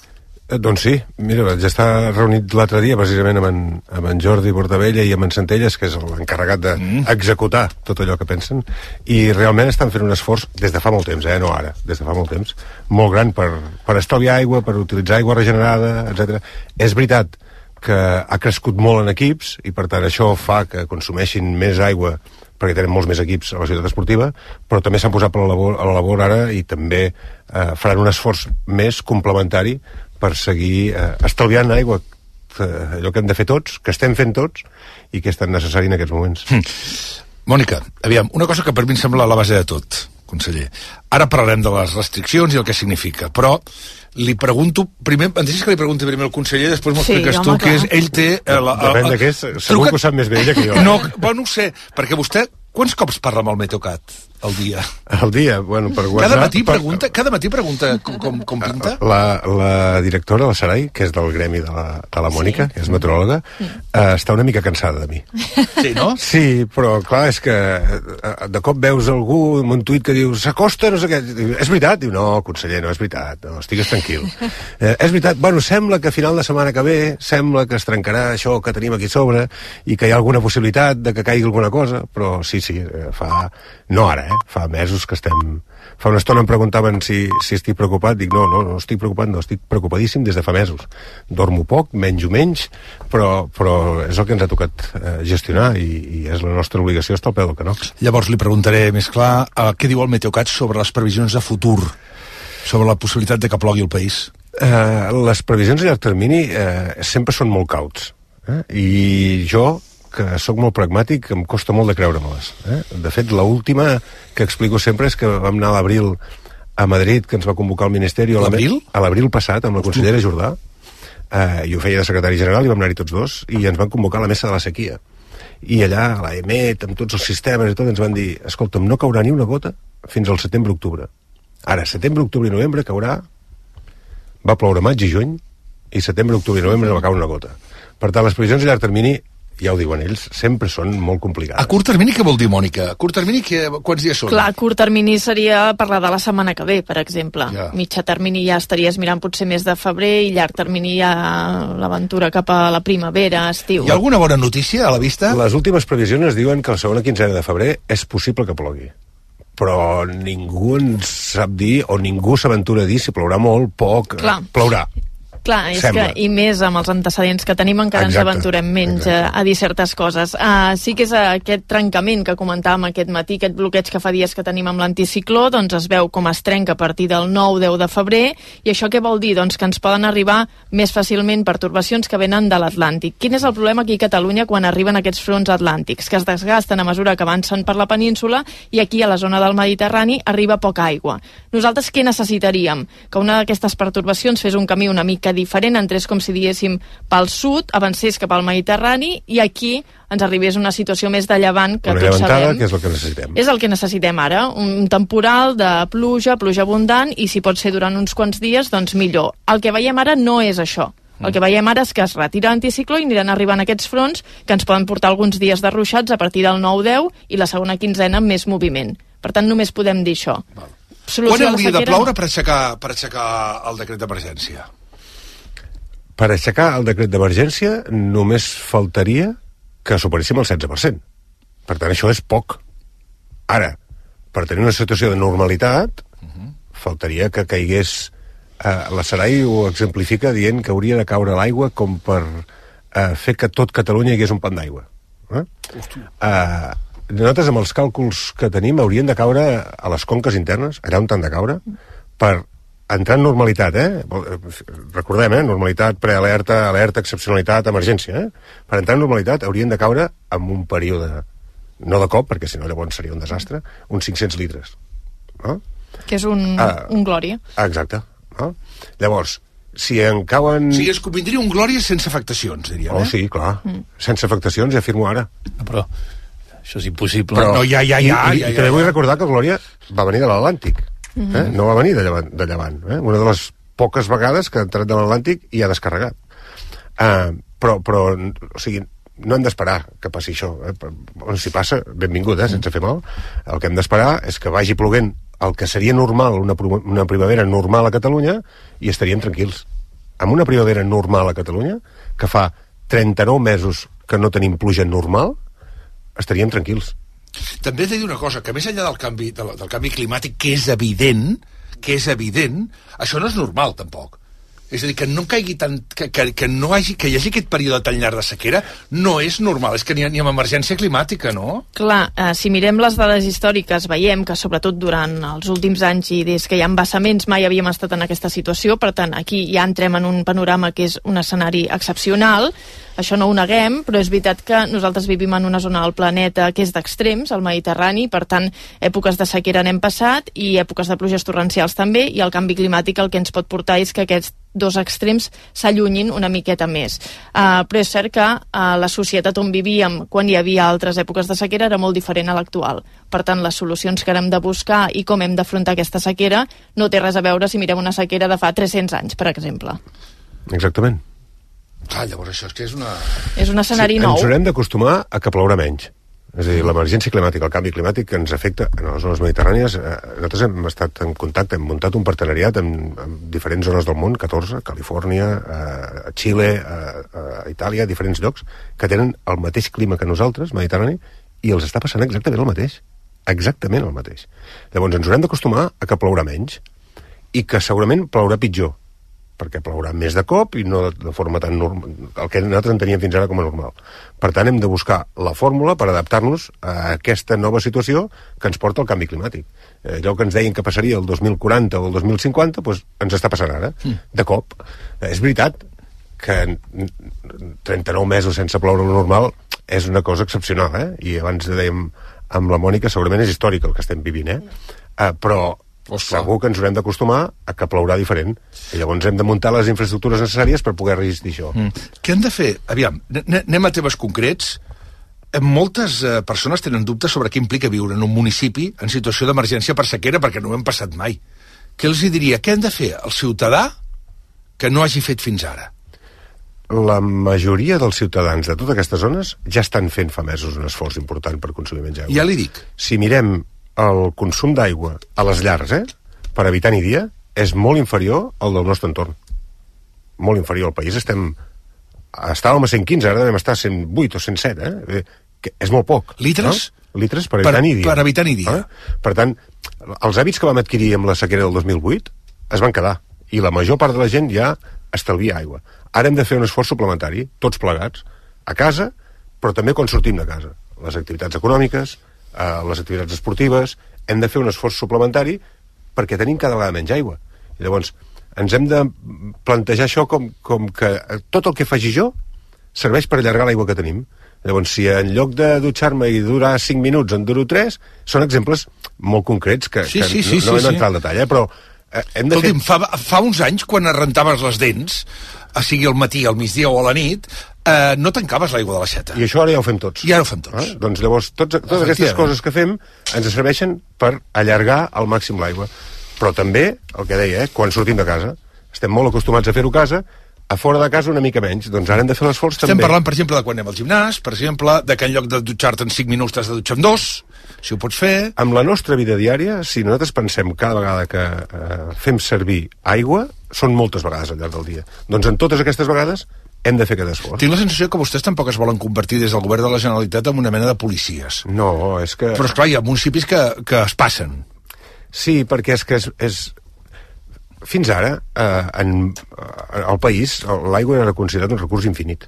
Doncs sí. Mira, ja està reunit l'altre dia, precisament, amb en Jordi Portabella i amb en Centelles, que és l'encarregat d'executar tot allò que pensen, i realment estan fent un esforç des de fa molt temps, no ara, des de fa molt temps, molt gran per estalviar aigua, per utilitzar aigua regenerada, etc. És veritat que ha crescut molt en equips i per tant això fa que consumeixin més aigua perquè tenen molts més equips a la ciutat esportiva, però també s'han posat a la labor ara i també faran un esforç més complementari per seguir estalviant aigua, allò que hem de fer tots, que estem fent tots i que és tan necessari en aquests moments. Mònica, aviam, una cosa que per mi em sembla la base de tot, conseller. Ara parlarem de les restriccions i el que significa, però li pregunto primer, em deixes que li pregunti primer al conseller, després m'ho expliques tu, que és, ell té... Depèn de què és, segur que ho sap més bé ella que jo. No ho sé, perquè vostè, quants cops parla amb el Meteocat al dia? Al dia? Bueno, per WhatsApp... Cada matí pregunta com pinta? La directora, la Sarai, que és del gremi de la Mònica, que és meteoròloga, està una mica cansada de mi. Sí, no? Sí, però clar, és que de cop veus algú amb un tuit que diu s'acosta, no sé què, és veritat? Diu, no, conseller, no és veritat, no, estigues tranquil. És veritat, bueno, sembla que a final de setmana que ve, sembla que es trencarà això que tenim aquí sobre i que hi ha alguna possibilitat de que caigui alguna cosa, però sí, no ara, fa mesos que estem... Fa una estona em preguntaven si estic preocupat, dic no estic preocupat, no, estic preocupadíssim des de fa mesos. Dormo poc, menjo menys, però és el que ens ha tocat gestionar i és la nostra obligació estar al peu del canó. Llavors li preguntaré més clar què diu el Meteocat sobre les previsions de futur, sobre la possibilitat de que plogui el país. Les previsions a llarg termini sempre són molt cauts, i jo, que sóc molt pragmàtic, em costa molt de creure-me-les. De fet, l'última que explico sempre és que vam anar a l'abril a Madrid, que ens va convocar el Ministeri... L'abril? A l'abril passat, amb la consellera Jordà, i ho feia de secretari general, i vam anar-hi tots dos, i ens van convocar a la mesa de la sequia. I allà, a l'EMET, amb tots els sistemes i tot, ens van dir, escolta'm, no caurà ni una gota fins al setembre-octubre. Ara, setembre, octubre i novembre caurà... Va ploure maig i juny, i setembre, octubre i novembre no va caure una gota. Per tant, les previsions a llarg termini, ja ho diuen ells, sempre són molt complicades. A curt termini què vol dir, Mònica? A curt termini quants dies són? Clar, a curt termini seria parlar de la setmana que ve, per exemple. Ja. Mitjà termini ja estaries mirant potser més de febrer i llarg termini ja l'aventura cap a la primavera, estiu. Hi ha alguna bona notícia a la vista? Les últimes previsions ens diuen que la segona quinzena de febrer és possible que plogui. Però ningú ens sap dir, o ningú s'aventura a dir si plourà molt, poc, plourà. Clar, és que, i més amb els antecedents que tenim encara ens aventurem menys a dir certes coses. Sí que és aquest trencament que comentàvem aquest matí, aquest bloqueig que fa dies que tenim amb l'anticicló, doncs es veu com es trenca a partir del 9-10 de febrer, i això què vol dir? Doncs que ens poden arribar més fàcilment pertorbacions que venen de l'Atlàntic. Quin és el problema aquí a Catalunya quan arriben aquests fronts atlàntics? Que es desgasten a mesura que avancen per la península i aquí a la zona del Mediterrani arriba poca aigua. Nosaltres què necessitaríem? Que una d'aquestes pertorbacions fes un camí una mica diferent, entrés com si diguéssim pel sud, avancés cap al Mediterrani i aquí ens arribés una situació més de llevant que tots sabem. Que és el que necessitem. És el que necessitem ara, un temporal de pluja abundant i si pot ser durant uns quants dies, doncs millor. El que veiem ara no és això. El que veiem ara és que es retira l'anticicló i aniran arribant aquests fronts que ens poden portar alguns dies de ruixats a partir del 9-10 i la segona quinzena amb més moviment. Per tant, només podem dir això. Quan hauria de ploure per aixecar el decret d'emergència? Per aixecar el decret d'emergència només faltaria que superéssim el 16%. Per tant, això és poc. Ara, per tenir una situació de normalitat, faltaria que caigués... la Sarai ho exemplifica dient que hauria de caure l'aigua com per fer que tot Catalunya hi hagués un pant d'aigua. Nosaltres, amb els càlculs que tenim, haurien de caure a les conques internes, allà on han de caure, per entrar en normalitat, recordem, normalitat, prealerta, alerta, excepcionalitat, emergència, per entrar en normalitat haurien de caure en un període, no de cop, perquè si no llavors seria un desastre, uns 500 litres. No? Que és un glòria. Exacte. No? Llavors, si en cauen... O sigui, es convindria un glòria sense afectacions, diríem, sí, clar. Sense afectacions, ja afirmo ara. Però això és impossible. Però, no, ja. I també vull recordar que el glòria va venir de l'Atlàntic. No va venir de llevant. Una de les poques vegades que ha entrat de l'Atlàntic i ha descarregat. Però o sigui, no hem d'esperar que passi això. Si passa, benvingut, sense fer mal. El que hem d'esperar és que vagi ploguent el que seria normal, una primavera normal a Catalunya, i estaríem tranquils. Amb una primavera normal a Catalunya, que fa 39 mesos que no tenim pluja normal, estaríem tranquils. També he de dir una cosa, que més enllà del canvi climàtic, que és evident, això no és normal, tampoc. És a dir, que no caigui tant... que hi hagi aquest període tan llarg de sequera no és normal, és que ni amb emergència climàtica, no? Clar, si mirem les dades històriques veiem que sobretot durant els últims anys i des que hi ha embassaments mai havíem estat en aquesta situació, per tant aquí ja entrem en un panorama que és un escenari excepcional. Això no ho neguem, però és veritat que nosaltres vivim en una zona del planeta que és d'extrems, el Mediterrani, per tant, èpoques de sequera n'hem passat i èpoques de pluges torrencials també, i el canvi climàtic el que ens pot portar és que aquests dos extrems s'allunyin una miqueta més. Però és cert que la societat on vivíem quan hi havia altres èpoques de sequera era molt diferent a l'actual. Per tant, les solucions que hem de buscar i com hem d'afrontar aquesta sequera no té res a veure si mirem una sequera de fa 300 anys, per exemple. Exactament. Llavors això és que és una... És un escenari nou. Ens haurem d'acostumar a que plourà menys. És a dir, l'emergència climàtica, el canvi climàtic que ens afecta en les zones mediterrànies. Nosaltres hem estat en contacte, hem muntat un partenariat amb diferents zones del món, 14, Califòrnia, a Xile, a Itàlia, a diferents llocs, que tenen el mateix clima que nosaltres, mediterrani, i els està passant exactament el mateix. Exactament el mateix. Llavors ens haurem d'acostumar a que plourà menys i que segurament plourà pitjor, perquè plourà més de cop i no de forma tan normal, el que nosaltres enteníem fins ara com a normal. Per tant, hem de buscar la fórmula per adaptar-nos a aquesta nova situació que ens porta al canvi climàtic. Allò que ens deien que passaria el 2040 o el 2050, doncs ens està passant ara, de cop. És veritat que 39 mesos sense ploure lo normal és una cosa excepcional, I abans dèiem amb la Mònica, segurament és històric el que estem vivint, però segur que ens haurem d'acostumar a que plourà diferent. I llavors hem de muntar les infraestructures necessàries per poder resistir això. Què hem de fer? Aviam, anem a temes concrets. Moltes persones tenen dubtes sobre què implica viure en un municipi en situació d'emergència per sequera, perquè no ho hem passat mai. Què els diria? Què hem de fer al ciutadà que no hagi fet fins ara? La majoria dels ciutadans de totes aquestes zones ja estan fent fa mesos un esforç important per consumir menys aigua. Ja li dic. Si mirem el consum d'aigua a les llars, per habitant i dia, és molt inferior al del nostre entorn. Molt inferior al país. Estàvem a 115, ara devem estar a 108 o 107, que és molt poc. Litres? No? Litres per habitant i dia. Per habitant i dia. Per tant, els hàbits que vam adquirir amb la sequera del 2008 es van quedar, i la major part de la gent ja estalvia aigua. Ara hem de fer un esforç suplementari, tots plegats, a casa, però també quan sortim de casa. Les activitats econòmiques, les activitats esportives, hem de fer un esforç suplementari perquè tenim cada vegada menys aigua. I llavors ens hem de plantejar això com que tot el que faci jo serveix per allargar l'aigua que tenim. Llavors, si en lloc de dutxar-me i durar 5 minuts en duro 3, són exemples molt concrets que no hem d'entrar al detall, però hem de Escolti'm, fa uns anys, quan et rentaves les dents, sigui al matí, al migdia o a la nit, no tancaves l'aigua de l'aixeta. I això ara ja ho fem tots. I ara ho fem tots. Doncs llavors, totes aquestes coses que fem ens serveixen per allargar al màxim l'aigua. Però també, el que deia, quan sortim de casa, estem molt acostumats a fer-ho a casa, a fora de casa una mica menys, doncs ara hem de fer l'esforç també. Estem parlant, per exemple, de quan anem al gimnàs, per exemple, de que en lloc de dutxar-te en 5 minuts t'has de dutxar en 2, si ho pots fer... Amb la nostra vida diària, si nosaltres pensem cada vegada que fem servir aigua, són moltes vegades al llarg del dia. Doncs en totes aquestes vegades hem de fer aquest esforç. Tinc la sensació que vostès tampoc es volen convertir des del govern de la Generalitat en una mena de policies. No, és que... Però esclar, hi ha municipis que es passen. Sí, perquè és que és... Fins ara, al país, l'aigua era considerat un recurs infinit.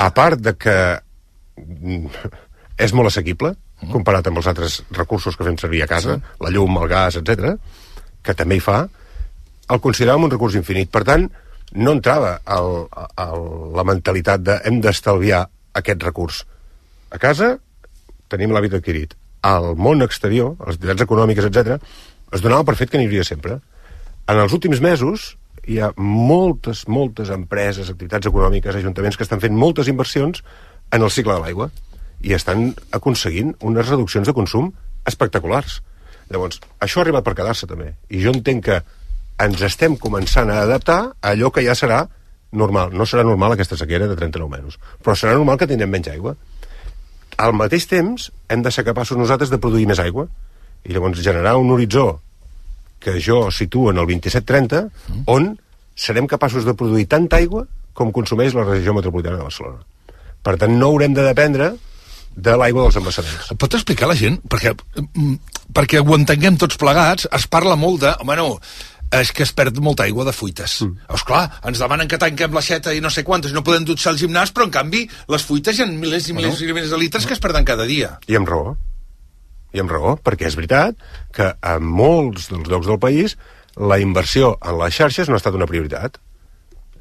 A part de que és molt assequible, comparat amb els altres recursos que fem servir a casa, la llum, el gas, etc, que també hi fa, el consideràvem un recurs infinit. Per tant, no entrava la mentalitat de hem d'estalviar aquest recurs. A casa tenim l'hàbit adquirit. Al món exterior, a les activitats econòmiques, etc, es donava per fet que n'hi hauria sempre. En els últims mesos hi ha moltes empreses, activitats econòmiques, ajuntaments que estan fent moltes inversions en el cicle de l'aigua i estan aconseguint unes reduccions de consum espectaculars. Llavors, això ha arribat per quedar-se també. I jo entenc que ens estem començant a adaptar a allò que ja serà normal. No serà normal aquesta sequera de 39 mesos, però serà normal que tindrem menys aigua. Al mateix temps, hem de ser capaços nosaltres de produir més aigua i llavors generar un horitzó que jo situo en el 27-30, on serem capaços de produir tanta aigua com consumeix la regió metropolitana de Barcelona. Per tant, no haurem de dependre de l'aigua dels embassaments. Pot explicar a la gent? Perquè ho entenguem tots plegats, es parla molt de... Home, no, és que es perd molta aigua de fuites. Esclar, ens demanen que tanquem l'aixeta i no sé quantes, no podem dutxar al gimnàs, però en canvi les fuites hi ha milers i milers i milers de litres que es perden cada dia. I amb raó, perquè és veritat que a molts dels llocs del país la inversió en les xarxes no ha estat una prioritat.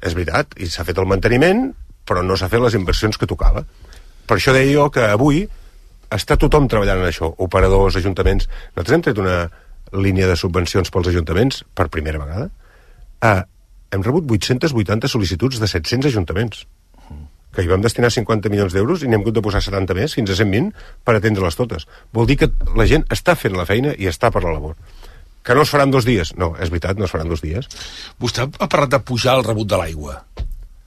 És veritat, i s'ha fet el manteniment, però no s'ha fet les inversions que tocava. Per això deia jo que avui està tothom treballant en això, operadors, ajuntaments. Nosaltres hem tret una línia de subvencions pels ajuntaments per primera vegada. Hem rebut 880 sol·licituds de 700 ajuntaments, que hi vam destinar 50 milions d'euros i n'hem hagut de posar 70 més, fins a 120, per atendre-les totes. Vol dir que la gent està fent la feina i està per la labor. Que no es faran 2 dies? No, és veritat, no es faran 2 dies. Vostè ha parlat de pujar el rebut de l'aigua.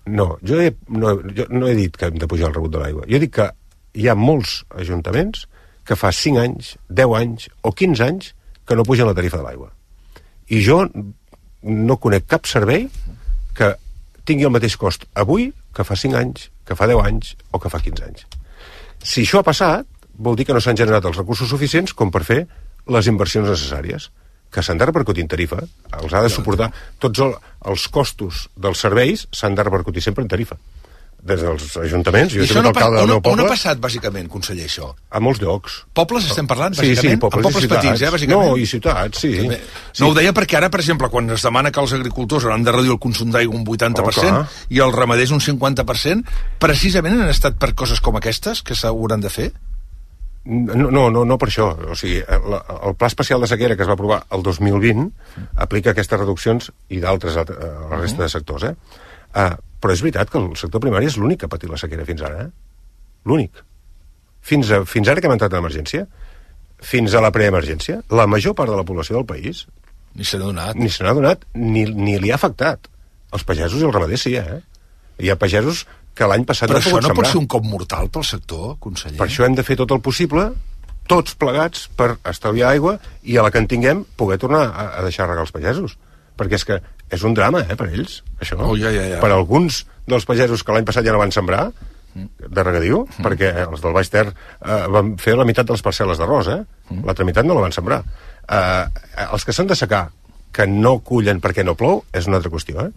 No, jo no he dit que hem de pujar el rebut de l'aigua. Jo he dit que hi ha molts ajuntaments que fa 5 anys, 10 anys o 15 anys que no pugen la tarifa de l'aigua. I jo no conec cap servei que tingui el mateix cost avui que fa 5 anys, que fa 10 anys o que fa 15 anys. Si això ha passat, vol dir que no s'han generat els recursos suficients com per fer les inversions necessàries, que s'han de repercutir en tarifa, els ha de suportar tots els costos dels serveis, s'han de repercutir sempre en tarifa. Des dels ajuntaments, jo soc alcalde del meu poble. On ha passat, bàsicament, conseller, això? A molts llocs. Pobles estem parlant, bàsicament? Sí, pobles petits, bàsicament? No, i ciutats, sí. No, ho deia perquè ara, per exemple, quan es demana que els agricultors hauran de reduir el consum d'aigua un 80% i els ramaders un 50%, precisament han estat per coses com aquestes que s'hauran de fer? No per això. O sigui, el Pla Especial de Sequera que es va aprovar el 2020 aplica aquestes reduccions i d'altres a la resta de sectors, però és veritat que el sector primari és l'únic que ha patit la sequera fins ara, L'únic. Fins ara que hem entrat en emergència, fins a la preemergència, la major part de la població del país ni se n'ha donat, ni li ha afectat. Els pagesos i els ramaders sí, Hi ha pagesos que l'any passat no han pogut sembrar. Però això no pot ser un cop mortal pel sector, conseller? Per això hem de fer tot el possible, tots plegats, per estalviar aigua i a la que en tinguem poder tornar a deixar regar els pagesos. Perquè és que és un drama, per ells, això. Per alguns dels pagesos que l'any passat ja no van sembrar, de regadiu, perquè els del Baix Ter van fer la meitat de les parcel·les d'arròs, l'altra meitat no la van sembrar. Els que s'han de secar, que no cullen perquè no plou, és una altra qüestió,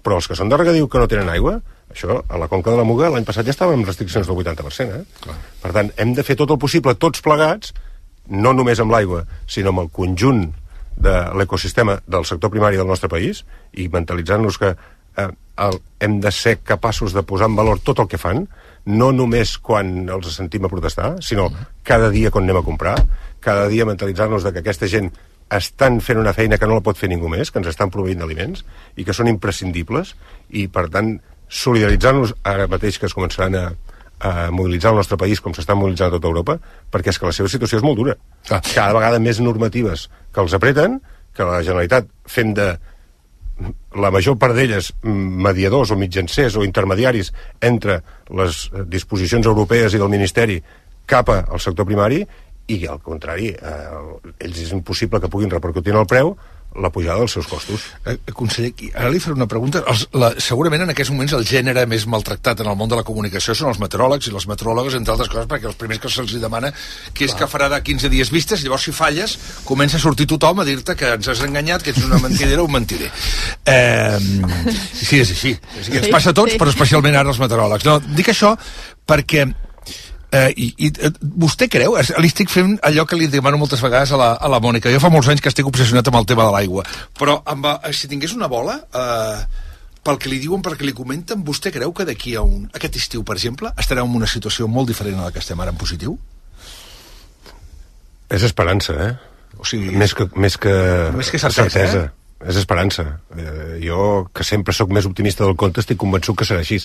però els que són de regadiu que no tenen aigua, això, a la Conca de la Muga l'any passat ja estava amb restriccions del 80%, Per tant, hem de fer tot el possible, tots plegats, no només amb l'aigua, sinó amb el conjunt de l'ecosistema del sector primari del nostre país, i mentalitzant-nos que hem de ser capaços de posar en valor tot el que fan, no només quan els sentim a protestar, sinó cada dia quan anem a comprar, cada dia mentalitzar-nos que aquesta gent estan fent una feina que no la pot fer ningú més, que ens estan proveint d'aliments i que són imprescindibles, i per tant solidaritzar-nos ara mateix que es començaran a mobilitzar el nostre país com s'estan mobilitzant a tota Europa, perquè és que la seva situació és molt dura. Cada vegada més normatives que els apreten, que la Generalitat fent de la major part d'elles mediadors o mitjancers o intermediaris entre les disposicions europees i del Ministeri cap al sector primari, i al contrari, ells és impossible que puguin repercutir en el preu la pujada dels seus costos. Conseller, ara li faré una pregunta. Segurament en aquests moments el gènere més maltractat en el món de la comunicació són els meteoròlegs i les meteoròlogues, entre altres coses, perquè els primers que se'ls demana que és que farà de 15 dies vistes, llavors si falles comença a sortir tothom a dir-te que ens has enganyat, que ets una mentidera o un mentider. Sí, és així. Ens passa a tots, però especialment ara els meteoròlegs. No, dic això perquè i vostè creu, li estic fent allò que li demano moltes vegades a la Mònica, jo fa molts anys que estic obsessionat amb el tema de l'aigua, però si tingués una bola, pel que li diuen, pel que li comenten, vostè creu que d'aquí a aquest estiu, per exemple, estarem en una situació molt diferent a la que estem ara en positiu? És esperança, O sigui, més que certesa. És esperança. Jo, que sempre sóc més optimista del compte, estic convençut que serà així.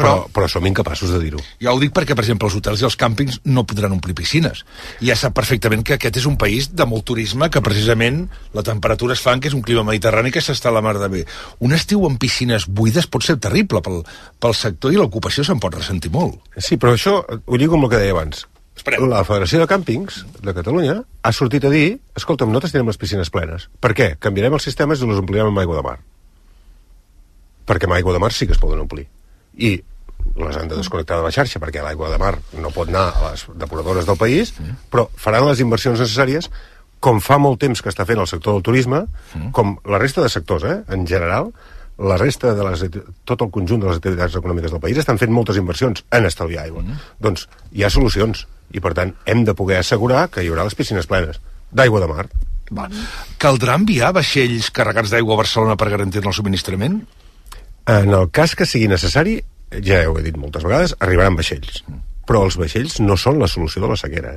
Però som incapaços de dir-ho. Ja ho dic perquè, per exemple, els hotels i els càmpings no podran omplir piscines. I ja sap perfectament que aquest és un país de molt turisme, que precisament la temperatura es fa que és un clima mediterrani que s'està a la mar de bé. Un estiu amb piscines buides pot ser terrible pel sector i l'ocupació se'n pot ressentir molt. Sí, però això ho lligo amb el que deia abans. La Federació de Càmpings de Catalunya ha sortit a dir, escolta'm, nosaltres tenim les piscines plenes. Per què? Canviarem els sistemes i les omplirem amb aigua de mar. Perquè amb aigua de mar sí que es poden omplir. I les han de desconnectar de la xarxa, perquè l'aigua de mar no pot anar a les depuradores del país, però faran les inversions necessàries com fa molt temps que està fent el sector del turisme, com la resta de sectors, en general, la resta de tot el conjunt de les activitats econòmiques del país estan fent moltes inversions en estalviar aigua. Doncs hi ha solucions, i per tant hem de poder assegurar que hi haurà les piscines plenes d'aigua de mar. Caldrà enviar vaixells carregats d'aigua a Barcelona per garantir el subministrament? En el cas que sigui necessari, ja ho he dit moltes vegades, arribaran vaixells. Però els vaixells no són la solució de la sequera,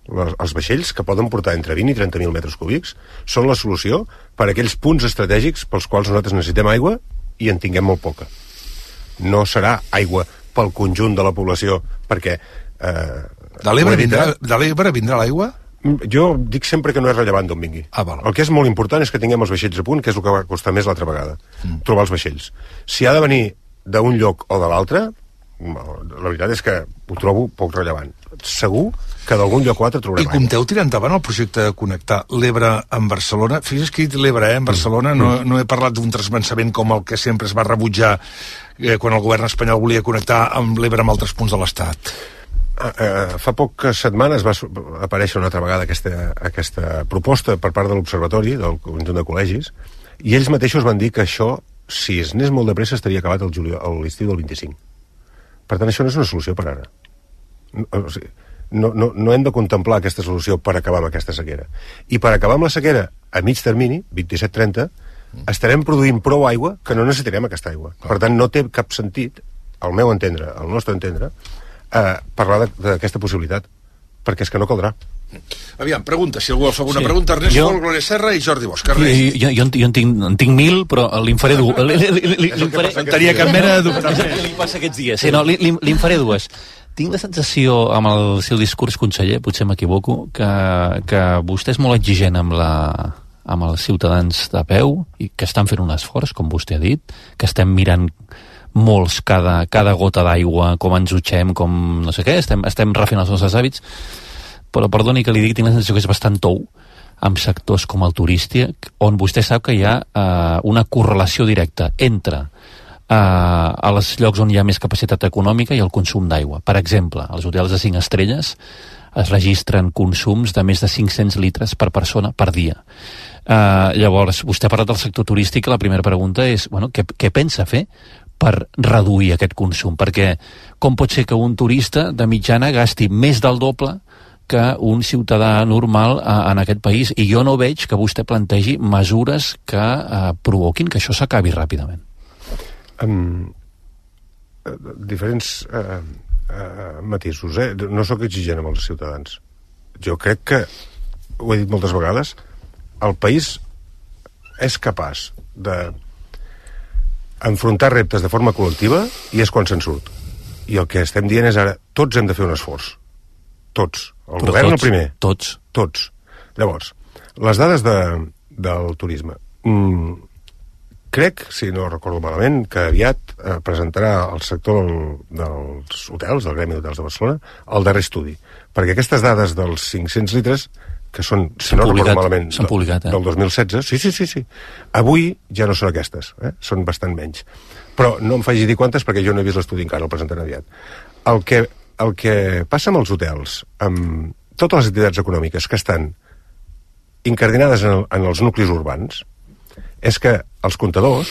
Els vaixells, que poden portar entre 20 i 30.000 metres cúbics, són la solució per a aquells punts estratègics pels quals nosaltres necessitem aigua i en tinguem molt poca. No serà aigua pel conjunt de la població, perquè... De l'Ebre vindrà l'aigua? Jo dic sempre que no és rellevant d'on vingui. El que és molt important és que tinguem els vaixells a punt, que és el que va costar més l'altra vegada, trobar els vaixells. Si ha de venir d'un lloc o de l'altre, la veritat és que ho trobo poc rellevant. Segur que d'algun lloc o altre trobarem aigua. I compteu tirar endavant el projecte de connectar l'Ebre amb Barcelona? Fixa't que he dit l'Ebre, en Barcelona. No he parlat d'un transvasament com el que sempre es va rebutjar quan el govern espanyol volia connectar amb l'Ebre amb altres punts de l'Estat. Fa poques setmanes va aparèixer una altra vegada aquesta proposta per part de l'Observatori, del conjunt de col·legis, i ells mateixos van dir que això, si es anés molt de pressa, estaria acabat l'estiu del 25. Per tant, això no és una solució per ara. No hem de contemplar aquesta solució per acabar amb aquesta sequera. I per acabar amb la sequera a mig termini, 27-30, estarem produint prou aigua que no necessitarem aquesta aigua. Per tant, no té cap sentit, al meu entendre, al nostre entendre, parlar d'aquesta possibilitat, perquè és que no caldrà. Aviam, pregunta, si algú vol fer alguna pregunta. Ernest Fol, Glòria Serra i Jordi Bosch. Jo en tinc 1.000, però li'n faré dues. No tenia cap mena de dubte. Li passa aquests dies. No, li'n faré dues. Tinc la sensació, amb el seu discurs, conseller, potser m'equivoco, que vostè és molt exigent amb els ciutadans de peu i que estan fent un esforç, com vostè ha dit, que estem mirant molts cada gota d'aigua, com ens dutxem, com no sé què, estem refent els nostres hàbits, però perdoni que li digui, tinc la sensació que és bastant tou amb sectors com el turístic, on vostè sap que hi ha una correlació directa entre als llocs on hi ha més capacitat econòmica i el consum d'aigua. Per exemple, als hotels de 5 estrelles es registren consums de més de 500 litres per persona per dia. Llavors, vostè ha parlat del sector turístic, la primera pregunta és, què pensa fer per reduir aquest consum? Perquè com pot ser que un turista de mitjana gasti més del doble que un ciutadà normal en aquest país? I jo no veig que vostè plantegi mesures que provoquin que això s'acabi ràpidament. Diferents matisos, no sóc exigent amb els ciutadans. Jo crec que, ho he dit moltes vegades, el país és capaç de enfrontar reptes de forma col·lectiva i és quan se'n surt. I el que estem dient és ara, tots hem de fer un esforç. Tots. El govern el primer. Tots. Llavors, les dades del turisme. Crec, si no recordo malament, que aviat presentarà el sector dels hotels, del Gremi d'Hotels de Barcelona, el darrer estudi. Perquè aquestes dades dels 500 litres, que són, si no recordo malament, del 2016, sí. Avui ja no són aquestes, són bastant menys. Però no em faci dir quantes perquè jo no he vist l'estudi encara, el presentaré aviat. El que passa amb els hotels, amb totes les activitats econòmiques que estan incardinades en els nuclis urbans, és que els comptadors,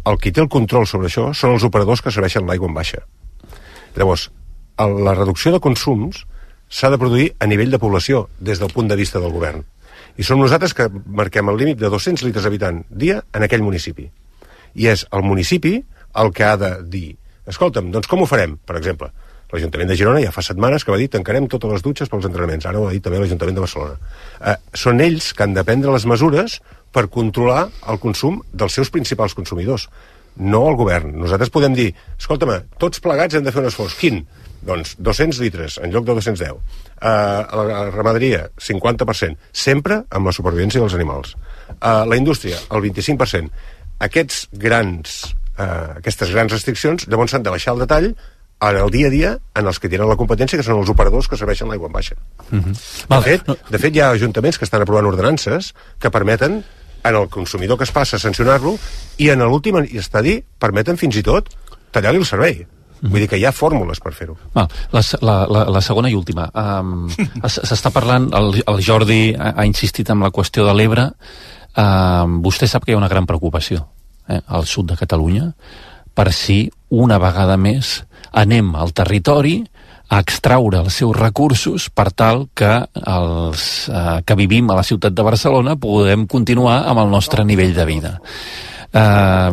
el qui té el control sobre això, són els operadors que serveixen l'aigua en baixa. Llavors, la reducció de consums s'ha de produir a nivell de població, des del punt de vista del govern. I som nosaltres que marquem el límit de 200 litres habitant dia en aquell municipi. I és el municipi el que ha de dir, escolta'm, doncs com ho farem? Per exemple, l'Ajuntament de Girona ja fa setmanes que va dir tancarem totes les dutxes pels entrenaments. Ara ho ha dit també l'Ajuntament de Barcelona. Són ells que han de prendre les mesures per controlar el consum dels seus principals consumidors, no el govern. Nosaltres podem dir, escolta'm, tots plegats hem de fer un esforç. Quin? Doncs 200 litres en lloc de 210. La ramaderia, 50%. Sempre amb la supervivència dels animals. La indústria, el 25%. Aquestes grans restriccions llavors s'han de baixar el detall en el dia a dia en els que tenen la competència, que són els operadors que serveixen l'aigua en baixa. De fet, hi ha ajuntaments que estan aprovant ordenances que permeten en el consumidor que es passa sancionar-lo i en l'últim estadi permeten fins i tot tallar-li el servei. Vull dir que hi ha fórmules per fer-ho. La segona i última. S'està parlant, el Jordi ha insistit en la qüestió de l'Ebre. Vostè sap que hi ha una gran preocupació al sud de Catalunya per si una vegada més anem al territori a extraure els seus recursos per tal que els que vivim a la ciutat de Barcelona podem continuar amb el nostre nivell de vida. Què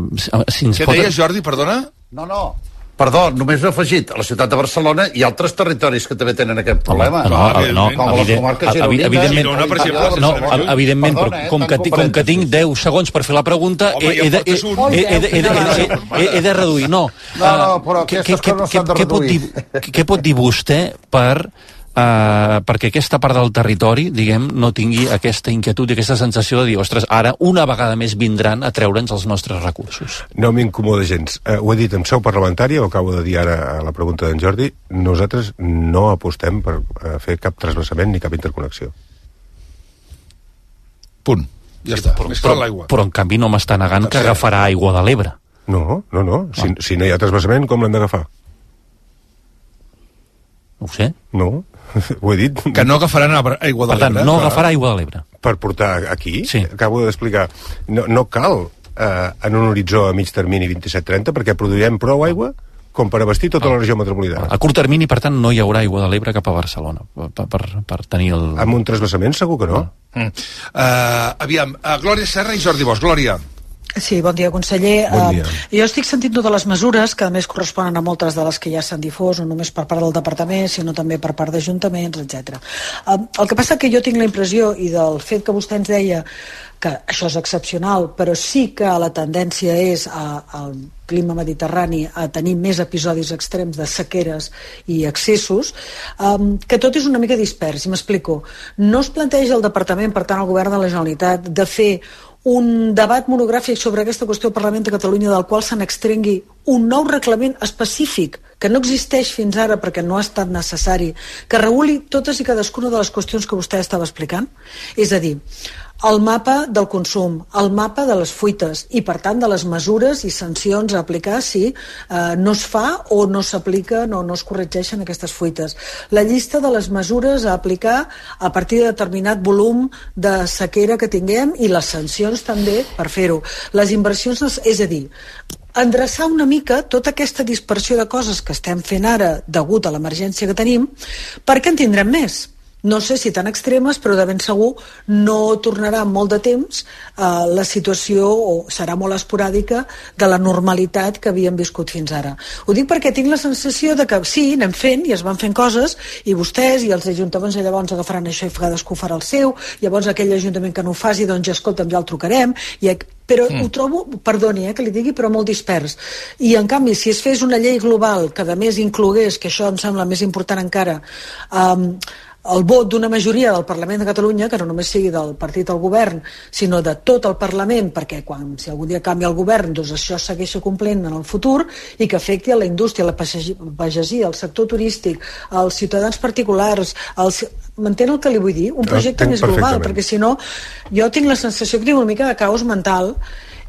deies, Jordi, perdona? No. Perdó, només he afegit, a la ciutat de Barcelona hi ha altres territoris que també tenen aquest problema. Com les comarques gironines. Evidentment, però com que tinc 10 segons per fer la pregunta, he de reduir. No, però aquestes coses no s'han de reduir. Què pot dir vostè perquè aquesta part del territori, diguem, no tingui aquesta inquietud i aquesta sensació de dir, ostres, ara una vegada més vindran a treure'ns els nostres recursos? No m'incomoda gens. Ho he dit en seu parlamentària, ho acabo de dir ara a la pregunta d'en Jordi, nosaltres no apostem per fer cap transvasament ni cap interconnexió. Punt. Ja està. Però en canvi no m'està negant que agafarà aigua de l'Ebre. No. Si no hi ha transvasament, com l'hem d'agafar? No ho sé. No, ho he dit. Que no agafaran aigua de l'Ebre. Per tant, no agafarà aigua de l'Ebre. Per portar aquí? Sí. Acabo d'explicar. No cal en un horitzó a mig termini 27-30 perquè produirem prou aigua com per abastir tota la regió metropolitana. A curt termini, per tant, no hi haurà aigua de l'Ebre cap a Barcelona per tenir el... Amb un transvasament segur que no. Aviam, Glòria Serra i Jordi Bosch. Glòria. Sí, bon dia, conseller. Bon dia. Jo estic sentint totes les mesures, que a més corresponen a moltes de les que ja s'han difós, no només per part del departament, sinó també per part d'ajuntaments, etc. El que passa que jo tinc la impressió, i del fet que vostè ens deia que això és excepcional, però sí que la tendència és al clima mediterrani a tenir més episodis extrems de sequeres i excessos, que tot és una mica dispers, i m'explico. No es planteja el departament, per tant el govern de la Generalitat, de fer un debat monogràfic sobre aquesta qüestió al Parlament de Catalunya del qual se n'extrengui un nou reglament específic que no existeix fins ara perquè no ha estat necessari, que reguli totes i cadascuna de les qüestions que vostè estava explicant? És a dir, el mapa del consum, el mapa de les fuites i, per tant, de les mesures i sancions a aplicar si no es fa o no s'apliquen o no es corregeixen aquestes fuites. La llista de les mesures a aplicar a partir de determinat volum de sequera que tinguem i les sancions també per fer-ho. Les inversions, és a dir, endreçar una mica tota aquesta dispersió de coses que estem fent ara degut a l'emergència que tenim, perquè en tindrem més. No sé si tan extremes, però de ben segur no tornarà en molt de temps la situació, o serà molt esporàdica, de la normalitat que havíem viscut fins ara. Ho dic perquè tinc la sensació de que sí, anem fent i es van fent coses, i vostès i els ajuntaments llavors agafaran això i cadascú farà el seu, llavors aquell ajuntament que no ho faci, doncs ja escolta'm, ja el trucarem, però ho trobo, perdoni que li digui, però molt dispers. I en canvi, si es fes una llei global que a més inclogués, que això em sembla més important encara, el vot d'una majoria del Parlament de Catalunya, que no només sigui del partit al govern, sinó de tot el Parlament, perquè si algun dia canvia el govern, doncs això segueixi complint en el futur, i que afecti a la indústria, la pagesia, el sector turístic, els ciutadans particulars, m'entén el que li vull dir? Un projecte més global, perquè si no, jo tinc la sensació que tinc una mica de caos mental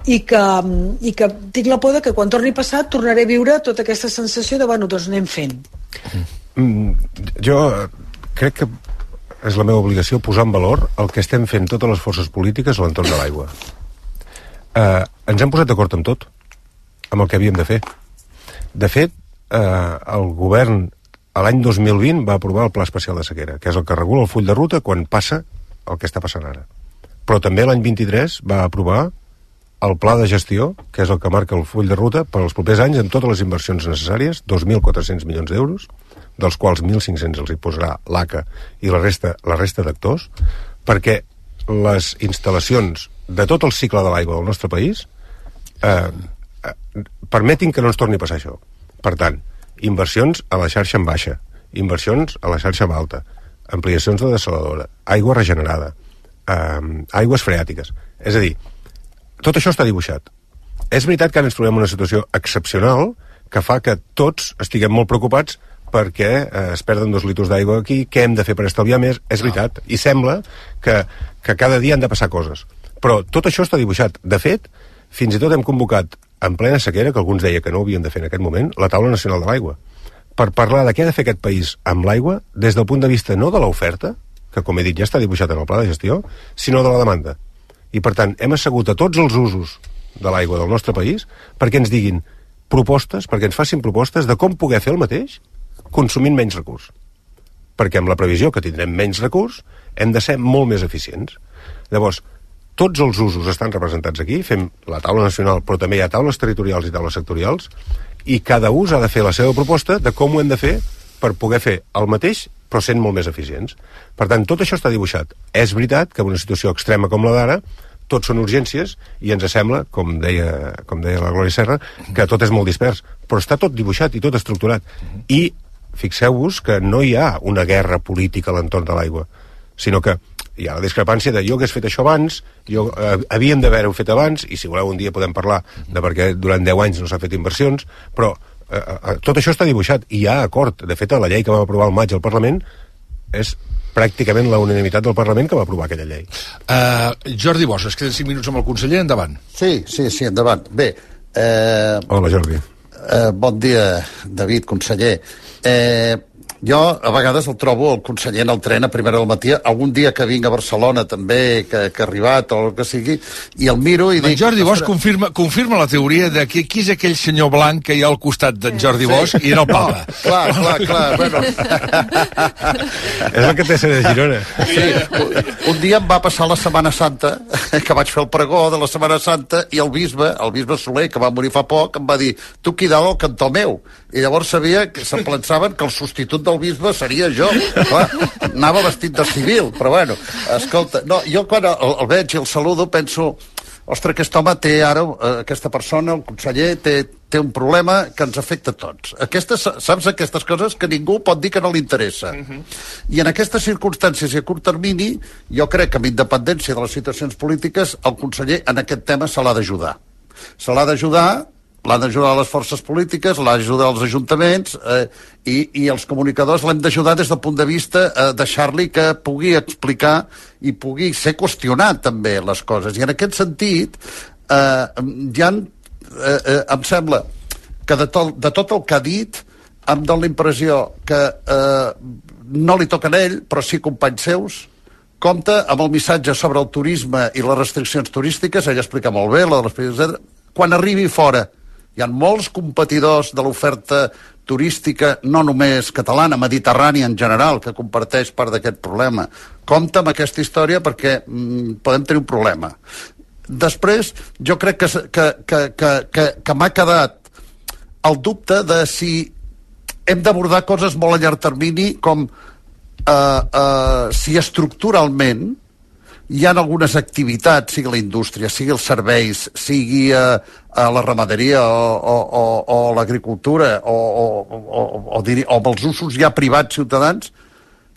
i que tinc la por que quan torni passat tornaré a viure tota aquesta sensació de, bueno, doncs anem fent. Jo crec que és la meva obligació posar en valor el que estem fent totes les forces polítiques a l'entorn de l'aigua. Ens hem posat d'acord amb tot, amb el que havíem de fer. De fet, el govern a l'any 2020 va aprovar el Pla Especial de Sequera, que és el que regula el full de ruta quan passa el que està passant ara. Però també l'any 23 va aprovar el Pla de Gestió, que és el que marca el full de ruta per als propers anys amb totes les inversions necessàries, 2.400 milions d'euros, dels quals 1.500 els hi posarà l'ACA i la resta d'actors, perquè les instal·lacions de tot el cicle de l'aigua del nostre país permetin que no ens torni a passar això. Per tant, inversions a la xarxa en baixa, inversions a la xarxa en alta, ampliacions de dessaladora, aigua regenerada, aigües freàtiques. És a dir, tot això està dibuixat. És veritat que ara ens trobem en una situació excepcional que fa que tots estiguem molt preocupats perquè es perden 2 litres d'aigua aquí, què hem de fer per estalviar més? És veritat, i sembla que cada dia han de passar coses. Però tot això està dibuixat. De fet, fins i tot hem convocat en plena sequera, que alguns deia que no ho havien de fer en aquest moment, la taula nacional de l'aigua, per parlar de què ha de fer aquest país amb l'aigua des del punt de vista no de l'oferta, que com he dit ja està dibuixat en el pla de gestió, sinó de la demanda. I per tant, hem assegut a tots els usos de l'aigua del nostre país perquè ens diguin propostes, perquè ens facin propostes de com poder fer el mateix consumint menys recurs. Perquè amb la previsió que tindrem menys recurs hem de ser molt més eficients. Llavors, tots els usos estan representats aquí, fem la taula nacional, però també hi ha taules territorials i taules sectorials, i cada ús ha de fer la seva proposta de com ho hem de fer per poder fer el mateix, però sent molt més eficients. Per tant, tot això està dibuixat. És veritat que en una situació extrema com la d'ara, tot són urgències, i ens sembla, com deia la Glòria Serra, que tot és molt dispers, però està tot dibuixat i tot estructurat. I fixeu-vos que no hi ha una guerra política a l'entorn de l'aigua, sinó que hi ha la discrepància de jo hagués fet això abans, havíem d'haver-ho fet abans, i si voleu un dia podem parlar de per què durant 10 anys no s'ha fet inversions, però tot això està dibuixat i hi ha acord. De fet, la llei que vam aprovar al maig al Parlament és pràcticament la unanimitat del Parlament que va aprovar aquella llei. Jordi Bosch, es queden 5 minuts amb el conseller, endavant. Sí, endavant. Bé. Hola, Jordi. Bon dia, David, conseller. Jo a vegades el trobo el conseller en el tren a primera del matí, algun dia que vinc a Barcelona també, que ha arribat o el que sigui, i el miro i dic... Jordi Bosch confirma la teoria de que qui és aquell senyor blanc que hi ha al costat d'en Jordi Bosch i era el papa. Clar, bueno... És el que té ser de Girona. Sí, un dia em va passar la Setmana Santa, que vaig fer el pregó de la Setmana Santa, i el bisbe Soler, que va morir fa poc, em va dir, tu quidado al cantó meu. I llavors sabia que se'n pensaven que el substitut del bisbe seria jo. Clar, anava vestit de civil, però bueno, escolta, no, jo quan el veig i el saludo penso, ostres, aquest home té ara, aquesta persona, el conseller, té un problema que ens afecta a tots. Saps aquestes coses que ningú pot dir que no li interessa. I en aquestes circumstàncies i a curt termini, jo crec que amb independència de les situacions polítiques, el conseller en aquest tema se l'ha d'ajudar. Se l'ha d'ajudar les forces polítiques, l'ha d'ajudar els ajuntaments i els comunicadors l'hem d'ajudar des del punt de vista deixar-li que pugui explicar i pugui ser qüestionat també les coses. I en aquest sentit em sembla que de tot el que ha dit em dóna la impressió que no li toca a ell, però sí companys seus, compta amb el missatge sobre el turisme i les restriccions turístiques, ell explica molt bé, quan arribi fora. Hi ha molts competidors de l'oferta turística, no només catalana, mediterrània en general, que comparteix part d'aquest problema. Compte amb aquesta història perquè podem tenir un problema. Després, jo crec que m'ha quedat el dubte de si hem d'abordar coses molt a llarg termini, com si estructuralment hi ha algunes activitats, sigui la indústria, sigui els serveis, sigui la ramaderia o l'agricultura o els usos ja privats ciutadans,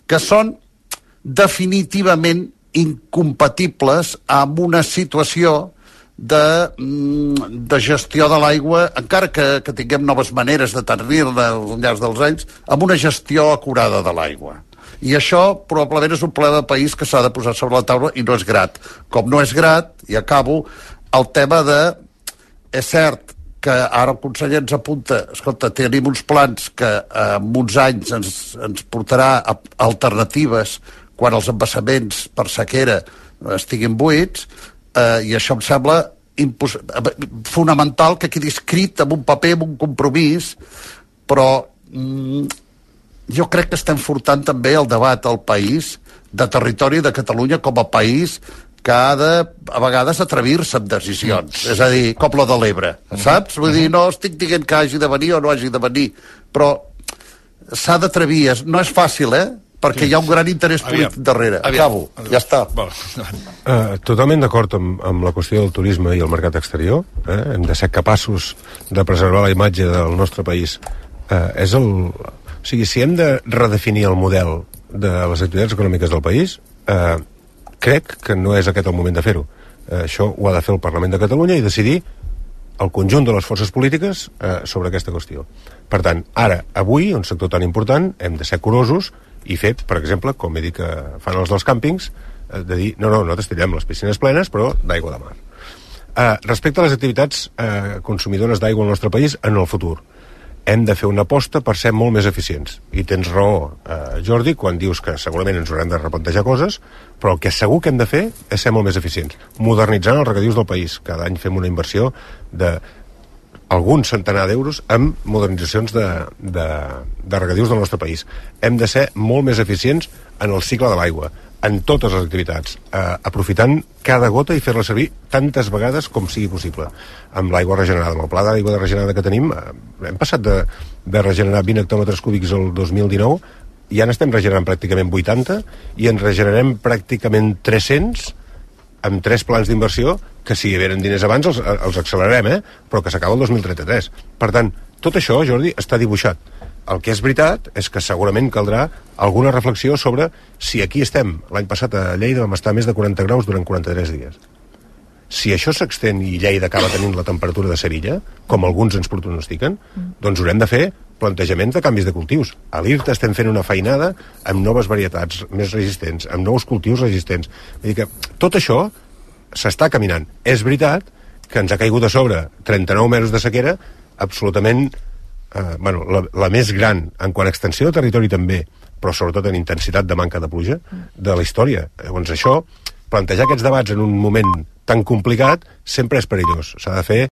que són definitivament incompatibles amb una situació de gestió de l'aigua, encara que tinguem noves maneres de tenir-la al llarg dels anys, amb una gestió acurada de l'aigua. I això probablement és un problema de país que s'ha de posar sobre la taula i no és grat. Com no és grat, i acabo, el tema de... És cert que ara el conseller ens apunta, escolta, tenim uns plans que en uns anys ens portarà alternatives quan els embassaments per sequera estiguin buits, i això em sembla fonamental que quedi escrit en un paper, en un compromís, però... jo crec que estem furtant també el debat al país de territori de Catalunya com a país que ha de, a vegades, atrevir-se amb decisions. És a dir, com la de l'Ebre, saps? Vull dir, no estic dient que hagi de venir o no hagi de venir, però s'ha d'atrevir. No és fàcil, perquè hi ha un gran interès polític darrere. Acabo, ja està. Totalment d'acord amb la qüestió del turisme i el mercat exterior. Hem de ser capaços de preservar la imatge del nostre país. O sigui, si hem de redefinir el model de les activitats econòmiques del país, crec que no és aquest el moment de fer-ho. Això ho ha de fer el Parlament de Catalunya i decidir el conjunt de les forces polítiques sobre aquesta qüestió. Per tant, ara, avui, un sector tan important, hem de ser curosos i fer, per exemple, com he dit que fan els dels càmpings, de dir, no, nosaltres tindrem les piscines plenes, però d'aigua de mar. Respecte a les activitats consumidores d'aigua al nostre país en el futur, hem de fer una aposta per ser molt més eficients. I tens raó, Jordi, quan dius que segurament ens haurem de replantejar coses, però el que segur que hem de fer és ser molt més eficients. Modernitzant els regadius del país. Cada any fem una inversió d'algun centenar d'euros en modernitzacions de regadius del nostre país. Hem de ser molt més eficients en el cicle de l'aigua, en totes les activitats, aprofitant cada gota i fer-la servir tantes vegades com sigui possible. Amb l'aigua regenerada, amb el pla d'aigua regenerada que tenim, hem passat de regenerar 20 hectòmetres cúbics el 2019, ja n'estem regenerant pràcticament 80 i en regenerem pràcticament 300 amb 3 plans d'inversió que si hi havien diners abans els accelerarem, però que s'acaba el 2033. Per tant, tot això, Jordi, està dibuixat. El que és veritat és que segurament caldrà alguna reflexió sobre si aquí estem. L'any passat a Lleida vam estar més de 40 graus durant 43 dies. Si això s'extén i Lleida acaba tenint la temperatura de Sevilla, com alguns ens pronostiquen, doncs haurem de fer plantejaments de canvis de cultius. A l'IRTA estem fent una feinada amb noves varietats més resistents, amb nous cultius resistents. Vull dir que tot això s'està caminant. És veritat que ens ha caigut a sobre 39 mesos de sequera absolutament la més gran en quant a extensió de territori també, però sobretot en intensitat de manca de pluja de la història. Llavors això, plantejar aquests debats en un moment tan complicat sempre és perillós. S'ha de fer